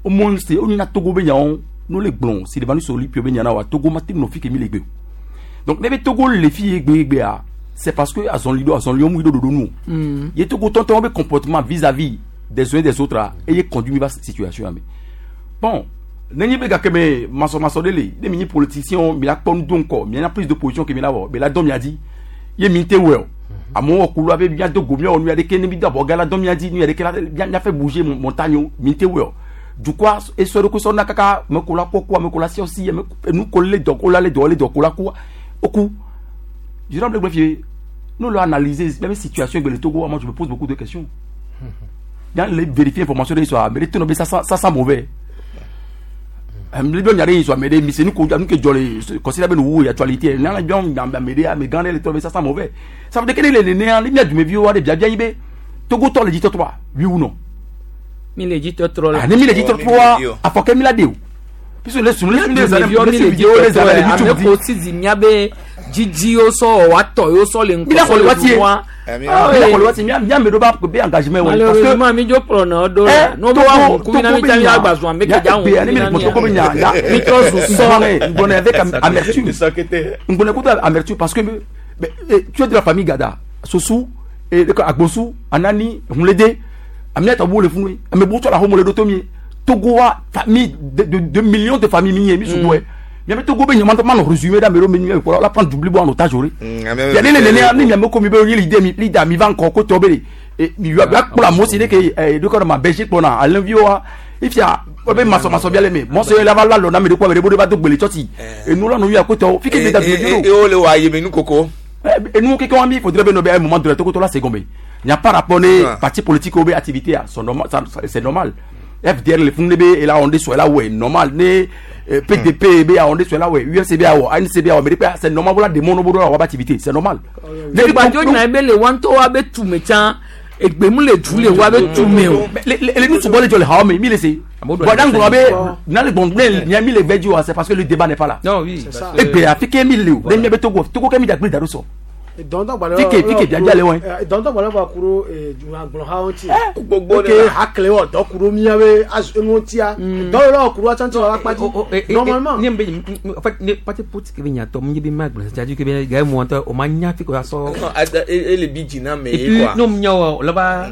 au moins c'est o nina Togo be nyawo no le gblɔ Sylvanus Olympio be nya na wa Togo ma te nɔ fi ke mi le gbe o donc ne be Togo le fi ye gbe gbea c'est parce que azɔnli do azɔnli mu do dodo nu ye Togo tɔntɔn be comportement vis-à-vis des uns et des autres a eye conduit mi va situation me bon nenye be gake me masɔmasɔ ɖe le ne mi nyi politicien mi la kpɔ nu do ŋkɔ mi na prise de position ke mi la wɔ mi la dɔn mia dzi ye mi te wɔ o amewo wɔ kulu abe mia do go miawɔ nu ya ɖeke ne mi do abɔ gã la dɔn mia dzi nu ya ɖeke la mia fɛ bouger montagne wo mi te wɔ o dukɔa esɔ ɖo ko sɔ na kaka ame ko la kɔ ku ame ko la si ɔsi ame enu ko le dɔ ko la le dɔ le dɔ ko la ku oku Jérôme le greffier nous l'avons analysé même situation le Togo moi je me pose beaucoup de questions dans les vérifier information de l'histoire mais les ça sent mauvais mle nyare yi so amede mi se nu ko nu ke jɔle considère be nu wo actualité nana jɔn amede ame gã ɖe le tɔ be ça sent mauvais ça veut dire que ne le nene ne mia dumeviwo wa de biabia yi be Togo tɔ le dzi tɔtrɔa oui ou non. Mi le dzi tɔtrɔ la. Ah ne mi le dzi tɔtrɔa afɔkɛ mi la de o puisque les sunu les les vidéos les ame ko si miabe dzidziwo sɔ wa tɔ yewo sɔ le mi la xɔ le waati ye mi la xɔ le waati ye mia ame ɖewo ba be engagement wɔ malheureusement mi dzo kplɔ na ɖo la n'o b'a hun kubi na mi ta mi agba zɔn mi kɛja hun ne mi le Togo be nya nya mi trɔ zu sɔ ngbɔnɛ avec amertume ngbɔnɛ kudo amertume parce que mais, tu es de la famille Gada Sossou Agbossou Anani Hunlede Aminata Bo le funu ame bo tɔ la homo le do to mi Togo wa famille de millions de familles mi ye mi sugu yɛ miame Togo be nyama ma nɔ résumé da ame ɖewo me nu kplɔ la prendre double bo en otage ori yali le nene ni miame ko mi be ye leader mi leader mi va ŋkɔ ko tɔ be de mi yɔ akplɔ amewo si de ke ɛ de kɔ ma Belgique kplɔna Alain Vieux wa ifia wo be masɔmasɔ bia le me mɔsɔ la va la lɔ na ame ɖe ko ame ɖe bo de va do gbele tsɔtsi enu la nu ya ko tɔ fi ke de da dume e o le wa ye me nu koko enu keke wa mi faudrait be no be un moment donné Togo tɔ la seconde il n'y a pas rapport ne parti politique ou be activité c'est normal FDR le fun be et là on est sur là ouais normal ne PDP be on est sur là ouais UFC be awɔ ANC be awɔ mais c'est normal voilà des mono bodo wa activité c'est normal. Ne gbadzo nya be le wa ŋutɔ wa be tume tsã egbemu le du le wa be tume o. Le nu subɔ le jɔ le hawo me mi le se bon dans gbɔn be n'ale gbɔn ne nya mi le vɛ dzi wa c'est parce que le débat n'est pas là. Non oui. Egbe afi ke mi le o ne mi be Togo Togo ke mi dagbe da do sɔ. Fike fike biabia le wɔn. Dɔntɔ gbalẽ va ku ɖo dunyagblɔhawo ŋuti. Gbogbo de hakle wɔ dɔ ku ɖo miabe enuwo ŋutia. Dɔ yɔrɔ ku ɖo atsã ŋuti wɔ akpa dzi. Normalement. Ne be en fait ne parti politique be nyatɔ mi be ma gblɔ c'est-à-dire que be ga mu ŋutɔ o ma nya fi ko ya sɔ. Ele bi dzi na me ye quoi. Et puis n'o nya wɔ o la ba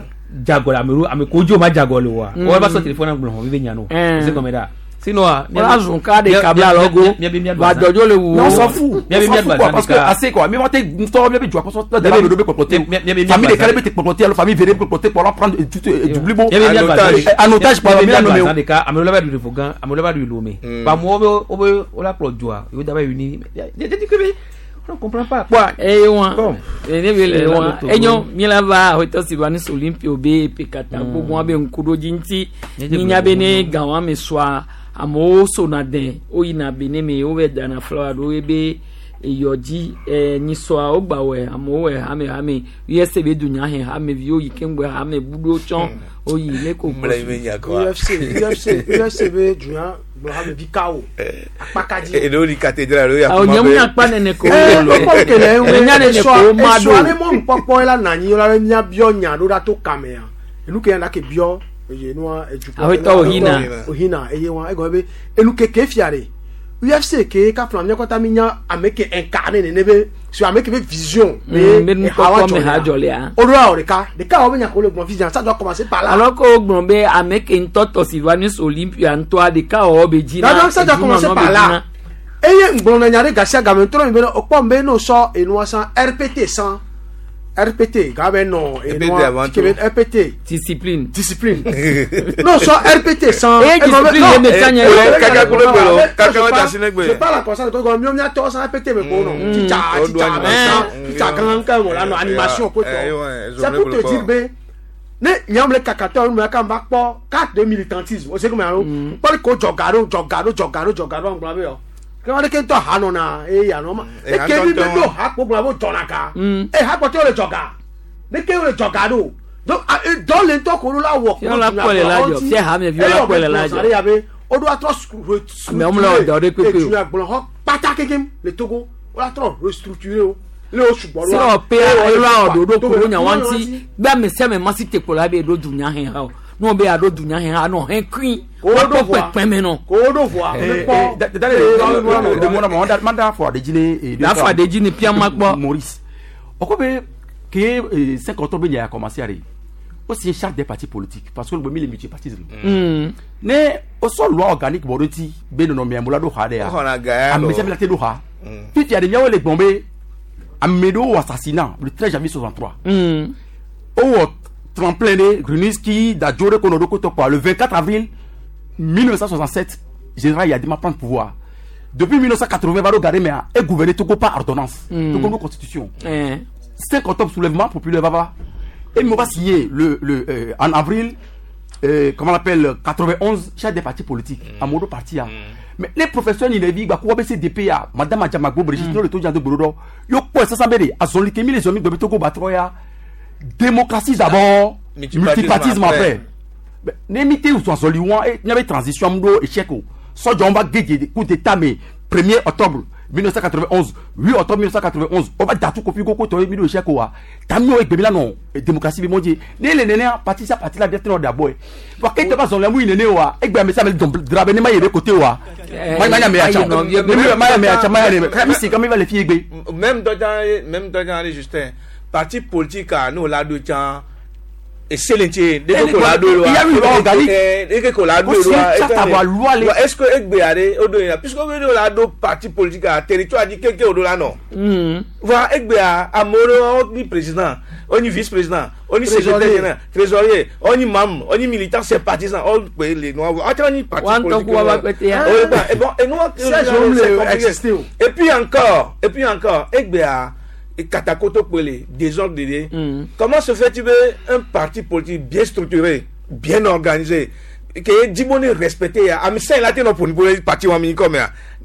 jagɔ la ame ame ko dzo ma jagɔ le wa. O ba sɔ téléphone na gblɔ hɔn mi be nya no. C'est comme ça. Sinon, ah, Wala zun ka de kabla lɔgo. Va dɔdzo le wu. Non, on s'en fout. On s'en fout quoi, parce que assez quoi. Mais moi, t'es tɔ mi be jɔ akɔsɔ tɔ dala be kpɔkpɔte. Famille de kale be te kpɔkpɔte alors famille vere be kpɔkpɔte kpɔlɔ prendre tout du blibo. En otage quoi. Mi la nommé o. Ɖeka ame ɖewo va ɖu ɖevo gã, ame ɖewo va ɖu lome. Ba amewo be wobe wola kplɔ dzoa, yewo da va yi ni. Je dis que on ne comprend pas. Kpɔa eye wa Bon. ne be le Eh, wa la do enyo mi la va ahotɔ si va ni Olympio be pekata gbogbo wa be ŋkuɖodzi ŋuti Ne mi nya be ne gã wa me sɔa amewo sona dɛ woyina be ne me wo bɛ dana flawa ɖo ebe eyɔ dzi ɛ nyisɔa wo gba wɔ amewo wɔ hame hame USA be dunya hɛ hame viwo yi keŋgbɛ hame buɖo tsɔ woyi ne ko Mle yi be nya kɔa. UFC UFC UFC be dunya gblɔ hame vi kawo akpakadzi. Eɖewo li cathédrale eɖewo Awo yakuma nye be- mu akpa nene ko Eh, wo kpɔkpɔ kele ŋu Enya nene ko wo ma esɔa ɖo. ne mɔnukpɔkpɔ la na anyi la be míabiɔ nya ɖo ɖa to kamea enu ke ya ke biɔ eye nua edukɔ Awetɔ ohina. ohina eye wa egɔme be enu keke fia de UFC ke kafla mía kɔta mi nya ame ke incarné nene be sur ame ke be vision Be nukpɔkpɔ me ha dzɔ lea. o ɖo awɔ ɖeka ɖeka wɔ be nya ko le gblɔ vision ça doit commencer par là. Alors ko gblɔ be ame ke ŋutɔ tɔ si va ni Olympia ŋutɔa ɖeka wɔwɔ be dzi na Donc ça doit edunɔnɔ commencer be par dzi là. na. Eye ŋgblɔ nya ɖe gasia game trɔ mi be okpɔ be no sɔ enua san RPT san RPT ga be nɔ RPT enua avant ke be tout. RPT discipline discipline no sɔ RPT san Eye discipline ye me tsa nye Eh, kaka kule gbe lo, kaka me ta si ne gbe. je parle en conscience de miɔ miatɔ san RPT me ko nɔ titsa O titsa do anyi. me san titsa gã ke mo la nɔ animation ko Eh, tɔ ouais, c'est pour te dire be ne nyam le kakatɔ nu me kan va kpɔ carte de militantisme o se ko me alo kpɔli ko dzɔga ɖo dzɔga ɖo dzɔga ɖo dzɔga ɖo ŋgblɔ be yɔ ke wɔn ɖeke ŋutɔ ha nɔna eye yanɔ ma Eh, eke mi be ha ŋutɔ ɖo ha kpo gblɔ be dzɔna ka e ha kpɔtɔ le dzɔga ɖeke le dzɔga ɖo donc dɔ le ŋutɔ ko la wɔ Fiɔ la kpɔ le la dzɔ, fia hame viwo la kpɔ le la dzɔ. yabe o do atrɔ Amewo mle wɔ dɔ ɖe kpekpe o. edunya gblɔ xɔ kpata kekem le Togo o la trɔ restructuré o le o sugbɔ Si wɔ pe elo awɔ ɖoɖo ko ɖo nya wa ŋuti be ame sia ame ma si te kplɔ la be ɖo dunya hɛ ha o. Ne wo be aɖo dunya hɛ ha nɔ hɛ kui. Woakpɔ kpekpe me nɔ. ko o do voa Eh, eh, de mɔna ma ma da fɔ adedzi ne. Da fɔ adedzi ne pia ma kpɔ. Maurice ɔkɔ be ke 5 octobre nya ya commencé are o signé charte des partis politiques parce que le mi le multipartisme. Ne o sɔ loi organique bɔ ɖo ti be nɔnɔmea mo la ɖo xa ɖe ya O xɔna ga ya ame lɔ. sia ame la te ɖo xa fifia de miawo le gbɔn be ame ɖewo wɔ assassinat le 13 janvier 63 o wɔ tremplin de Grunitzky Dadjo ɖe ko nɔ ɖo ko tɔ kɔa le 24 avril 1967 général Eyadéma prend le pouvoir depuis 1980 va ɖo ga ɖe mea e gouverner Togo par ordonnance Togo no constitution 5 octobre soulèvement populaire va va et on va signer le en avril comment on appelle 91 chef des partis politiques amodo parti a mais les professeurs ni les gba ko CDP a madame Adjamagbo Brigitte no le to jando gborodo yo ko sasa be de azoli kemi les zomi gbe Togo ba troya démocratie d'abord Multipartisme multipartisme après. après Mais, ne mi te sɔn sɔli wɔn e nya be transition mu ɖo échec o sɔdzɔ va gege coup d'état me 1er octobre 1991 8 octobre 1991 o va datu kofi koko tɔ ye mi ɖo échec o wa tami o egbe mi la nɔ démocratie bi mɔ dzi ne le nenea parti sia parti la de tɛnɛ o da bɔ ye wa ke tɛ ba zɔn lɛ mu yi nene wa egbe ame sia ame dɔn dra be ne ma ye be côté wa ma ma nya me ya tsa Ayi, nɔ, ne mi ma ya me ya tsa ma ya ne mi si ka mi va le fi egbe. Même dɔdza même dɔdza ale Justin parti politique a n'o la do can eselente de ko la do Il y a une loi organique. de ko la do Ko si wa charte avoir loi le- est-ce que egbe are o do yin na puisque o do la do parti politique a territoire di keke o do la nɔ. Voilà, egbea amewo wo ni président, wo ni vice-président, wo ni secrétaire Trésorier. général, trésorier, wo ni membre, wo ni militant sympathisant, wo pe le noa, wo ati wo ni parti Wa ŋutɔ politique. ku wa va kpete ya. Oh, bon, et bon, et nous, Siège homme c'est le compliqué. existé o. Et puis encore, egbea Katakoto Pele, désordre dédé. Comment se fait-il un parti politique bien structuré, bien organisé, que Dibone respecté, à ça il a été non pour le parti ou ami comme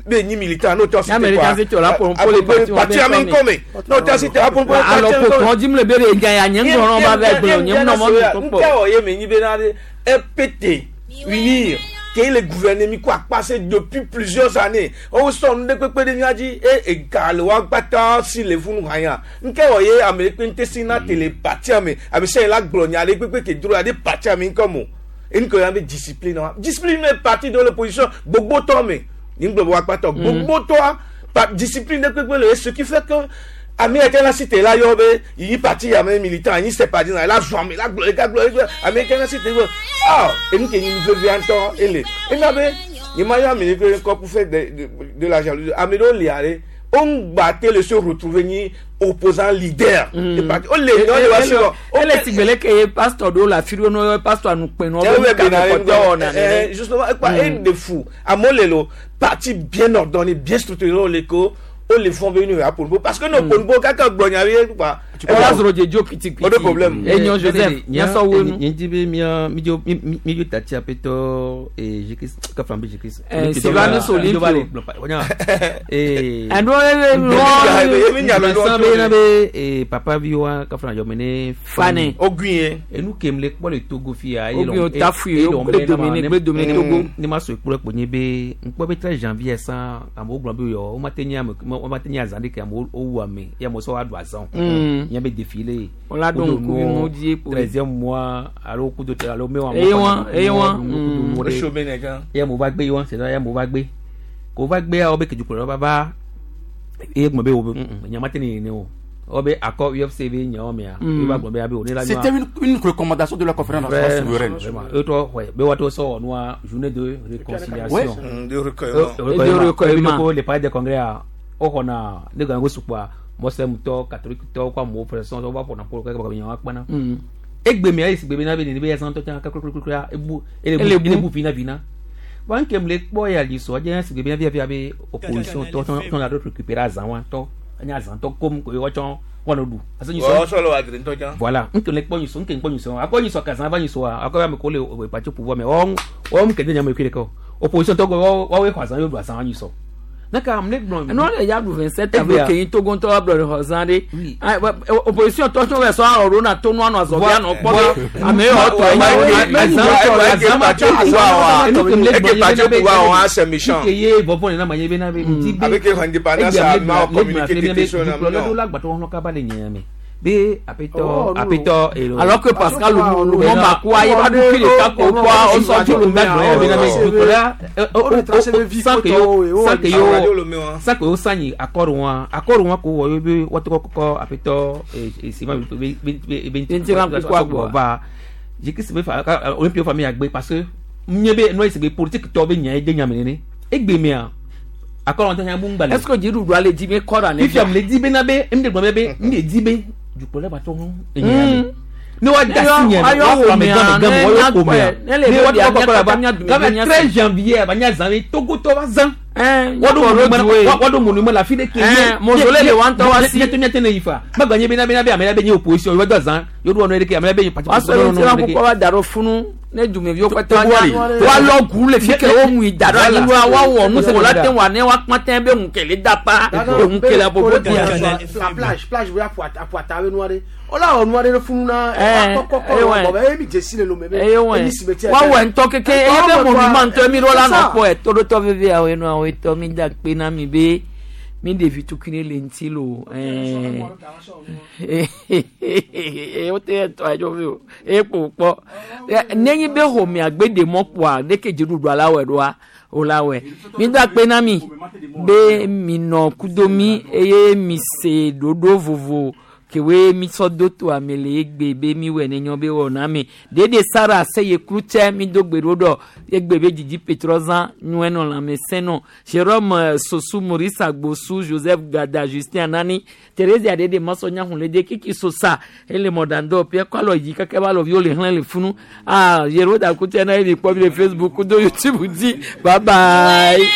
mais ni militant, non, tu as Ya militant, c'est tu là pour le parti ou parti ami ami comme non, tu as cité pour le Alors ko kɔn dzi mu le be ɖe nya ya nye ŋgɔ nɔ ba va gblɔ nye ŋu nɔ mɔ nu kpɔ. Nkɛ wɔ ye me nyi bena de RPT unir ke le gouvernement ko akpase depuis plusieurs années o sɔ nu ɖe kpekpe ɖe mía dzi e ega le wa kpata si le funu hanya nkɛ wɔ ye ame ɖe kpe ŋute si na tele partia me ame sia yi la gblɔ nya ɖe kpekpe ke dro la ɖe partia me ŋkɔ mo enu ke ya be discipline wa discipline me parti de l'opposition gbogbo tɔ me ni ŋgblɔ be wa kpatɔ gbogbo tɔa pa discipline ɖe kpekpe le ye ce qui fait que ame yɛ tɛna si te la yɔ be yi parti ame militant yi sympathisant la zɔn ame la gblɔ eka gblɔ eka ame yɛ tɛna si te gblɔ ah enu ke nyi nu vevia ŋutɔ ele ena be Nye ma yɔ ame ɖe ƒe ŋkɔ pour faire de la jalousie. Ame ɖewo lia ɖe, wo ŋgba te le se retrouver nyi opposant leader. De parti. Wo le nyɔ le wa si wɔ. Ele si gbele ke ye pasteur ɖewo le afi ɖewo ne woyɔ pasteur anukpe nɔ Eh, be ouais, nu ka ben, me kpɔtɔ wɔna nene. justement, quoi, et de fou. Amewo le lo, parti bien ordonné, bien structuré, wo le ko, wo le fɔ be nu ya Ponpo. Parce que no Ponpo kaka gblɔ nya be quoi. Wala zoro dzedzo kitikiti. O de problème. Enyo Joseph, nyasɔ wo nu. Nye di be mía mídzo mídzo tati aƒetɔ Jésus kafla be Jésus. Eh, Sylvanus Olympio. Eh. Ɛnu Vincent be na be papa vi wa kafla yɔ me ne Fane. Ogui ye. Enu kem le kpɔ le Togo fia. Ogui o tafui, o gbe domine, gbe domine Togo. Ne ma so ekplɔ kpo nye be ŋkpɔ be 13 janvier san amewo gblɔ be yɔ wo ma te nye ame wo ma te nye azã ɖeke amewo wowu ame ye amewo sɔ wa ɖu azã o. Nye be défilé. Wola ɖo ŋkuvi mo dzi kpo. 13e mois alo kudo alo mewɔ Eye wa, eye wa. O so be ne kan. Ye amewo va gbe ye wa c'est ça ye amewo va gbe. Ko va gbea wo be kedukplɔlawo va va eye gblɔ be wo be nya ma te ne ne o. Wo be akɔ UFC be nyawo mea. Ye va gblɔ be abe o ne la C'était une recommandation de la conférence nationale souveraine. Vraiment. Eux, toi, ouais. Be wato so noa journée de réconciliation. Ouais. De recueillement. Et de recueillement. Les palais des congrès a o xɔna ne gan go sukua mɔsɛm tɔ catholique tɔ kɔ amewo protestant tɔ va ƒona ƒo kaka kaka nyawo kpana. Egbe mea esi gbe be na be nene be ya zãtɔ tsã kakakakaka ebu ele Ele bu bu. ele bu vina vina. Wa ŋkem le kpɔ ya li sɔ dze esi gbe be na via via be opposition tɔ tɔ tɔ la ɖo récupérer azã wa tɔ enya azã tɔ kom ko ye woatsɔ wɔnɔ ɖu. Parce que Wɔ sɔ le wa dre ŋutɔ tsã. Voilà, nke le kpɔ nyisɔ, nke kpɔ nyisɔ. Akɔ nyisɔ kazã va nyisɔ akɔ ame ko le o parti au pouvoir mais wɔn wɔn kede nyame kiri kɔ. Opposition tɔ wɔ wɔn xɔ azã yɔ ɖu azã nyisɔ. Ne ka ame gblɔ. Ɛnu le ya ɖu 27 avril ke yi Togo ŋutɔ wa gblɔ le xɔ zã ɖe. Ah, Opposition tɔ tso vɛ sɔ alɔ ɖo na to nu anɔ azɔge anɔ kpɔ be ame yɔ tɔ Nke ye vɔvɔ nana ma ye bena be ŋuti be. Avec indépendance, ma communiqué tete so na dukplɔla ɖo la gbatɔ wɔn kaba le nyia me. Be aƒetɔ aƒetɔ elo. Alors que Pascal Lumumba kua ye va ɖu kiri ka ko kua o sɔ tso Lumumba gblɔ ya bena be dukplɔla sans que yo sanyi accord wa accord wa ko wɔ ye be wɔtɔ kɔkɔ aƒetɔ sima be be be Ntira kuku agbɔ. va jikisi be fa olympio fa mi agbe parce que nye be nɔ esi be politique tɔ be nya ye de nya me nene egbe mea accord wɔn tɛ nya bu ŋgba le. Est-ce que dziɖuɖua le dzi be kɔra ne fifia mu le di be na be ŋde gblɔ be be ŋde di be dukplɔla ba tɔ ŋu enya me ne wa da si nye Ayɔ wa wò kplɔ ame mea, gã me gã me ne wa yɔ ko nya mea kpɔe, ne le ne wa be tɔ ɖia, kɔkɔ la ba mía mía dume game mía 13 janvier ba nya zã be togotɔ va zã nyakpɔ wa ɖo monument la fi ɖe ke Eh, mausolée le wa ŋutɔ wa si. miate miate ne yi fa magba nye be na be na be ame la be nye opposition yi wa do azã yo ɖo wɔnɔ ɖeke ame la be nye parti wa sɔ non, non, ŋuti la non, kukua va da ɖo funu ne dumeviwo kpata Togo nya ali. wa lɔ gu le fi ke wo mui da ɖo anyi wa wa wɔ nu ko la te wa ne wa kpã te be ŋukele da pa ŋukele abobo dia. La plage, plage wo aƒu ata be nua ɖe. Wola wɔ nua ɖe ɖe funu na Eh, kɔkɔkɔ eh, ouais. bɔ be emi dzesi le lome be eye wɔ emi cimetière. wa wɔ ŋutɔ keke eye be monument ŋutɔ mi ɖo la C'est nɔ ça. kpɔ ɛtɔɖotɔ veve awo enu awo etɔ mi da kpe na mi be mi ɖevi tukui ne le ŋuti lo ɛɛ wote etɔ adzo vi o eye kpo kpɔ nenyi be xɔmea gbe ɖe mɔ kpoa ɖeke dziɖuɖua la wɔe ɖoa o la wɔe mi da kpe na mi be mi nɔ kudo mi eye mi se ɖoɖo vovo kewoe mi sɔ do to ame le egbe be mi wɔ ne nyɔ be wɔ na mi dede sara se ye klutsɛ mi do gbe ɖo ɖɔ egbe be dzidzi petrɔzã nyɔe nɔ lãmesẽ nɔ jerome sosu maurice agbosu joseph gada justin anani theresia dede masɔ nyahun kiki sosa ele mɔdandɔ pia kɔ alɔ yi kaka ba alɔviwo le hlẽ le funu ah yeroda kutsɛ na ye mi kpɔ mi le facebook do youtube dzi bye bye.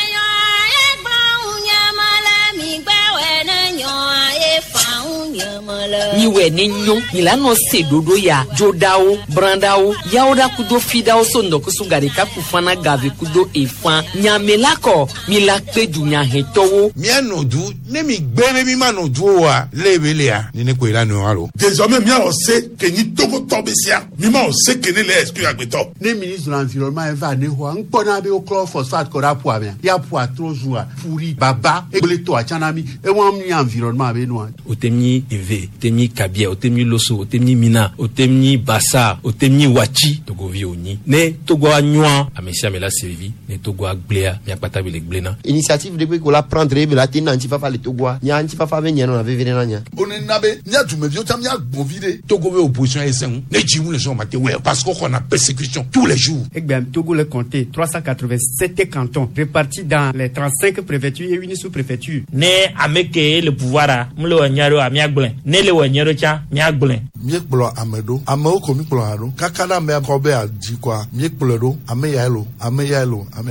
Miwɛ ne nyo mi la nɔ se ɖoɖo ya dzoɖawo brãɖawo yawo ɖa kudo fiɖawo so ŋdɔkusu gaɖeka ku fana gave kudo efã nyame la kɔ mi la kpe dunyahetɔwo. Míanɔ du ne mi gbe be mi ma nɔ du oa lé be lea nene koe la nɔ alo. Désormais, mía se ke nyi Togotɔ be sia. Mi ma o se ke ne le exclure agbetɔ. Ne ministre de l'environnement eva ne xɔa ŋkpɔna be woklɔ phosphate kɔ ɖe aƒua mea ya ƒua trɔ zua ƒu ɖi baba egble tɔa tsã na mi ewa mi environnement be nua. Otemi eve, temi nyi Kabia, o tem nyi Loso, o tem nyi Mina, o tem nyi Bassa, o tem nyi Wachi, Togovi o nyi. Ne Togo a nyɔa, ame sia ame la se vivi, ne Togo a gblẽa, miakpata be le gblẽna. Initiative de ko la prendre be la te na ŋutifafa le Togoa. Nya ŋutifafa be nye nɔna veve ɖe na nya. Onena be mía dumeviwo tsã míagbɔn vi ɖe. Togo be opposition ye sẽŋu ne dzi ŋu le sɔn ma te wɛ parce que xɔna persécution tous les jours. Egbea Togo le compté 387 cantons répartis dans les 35 préfectures et une sous-préfecture. Ne ame ke le pouvoir a mu le wɔ nyuie ɖo miagblẽ ne le wɔ nyuie ɖo tsã miagblẽ. Míekplɔ ame ɖo amewo ko míkplɔ hã ɖo kaka ɖe amea kɔ be adzi kɔa míekplɔe ɖo ame yae lo ame yae lo ame.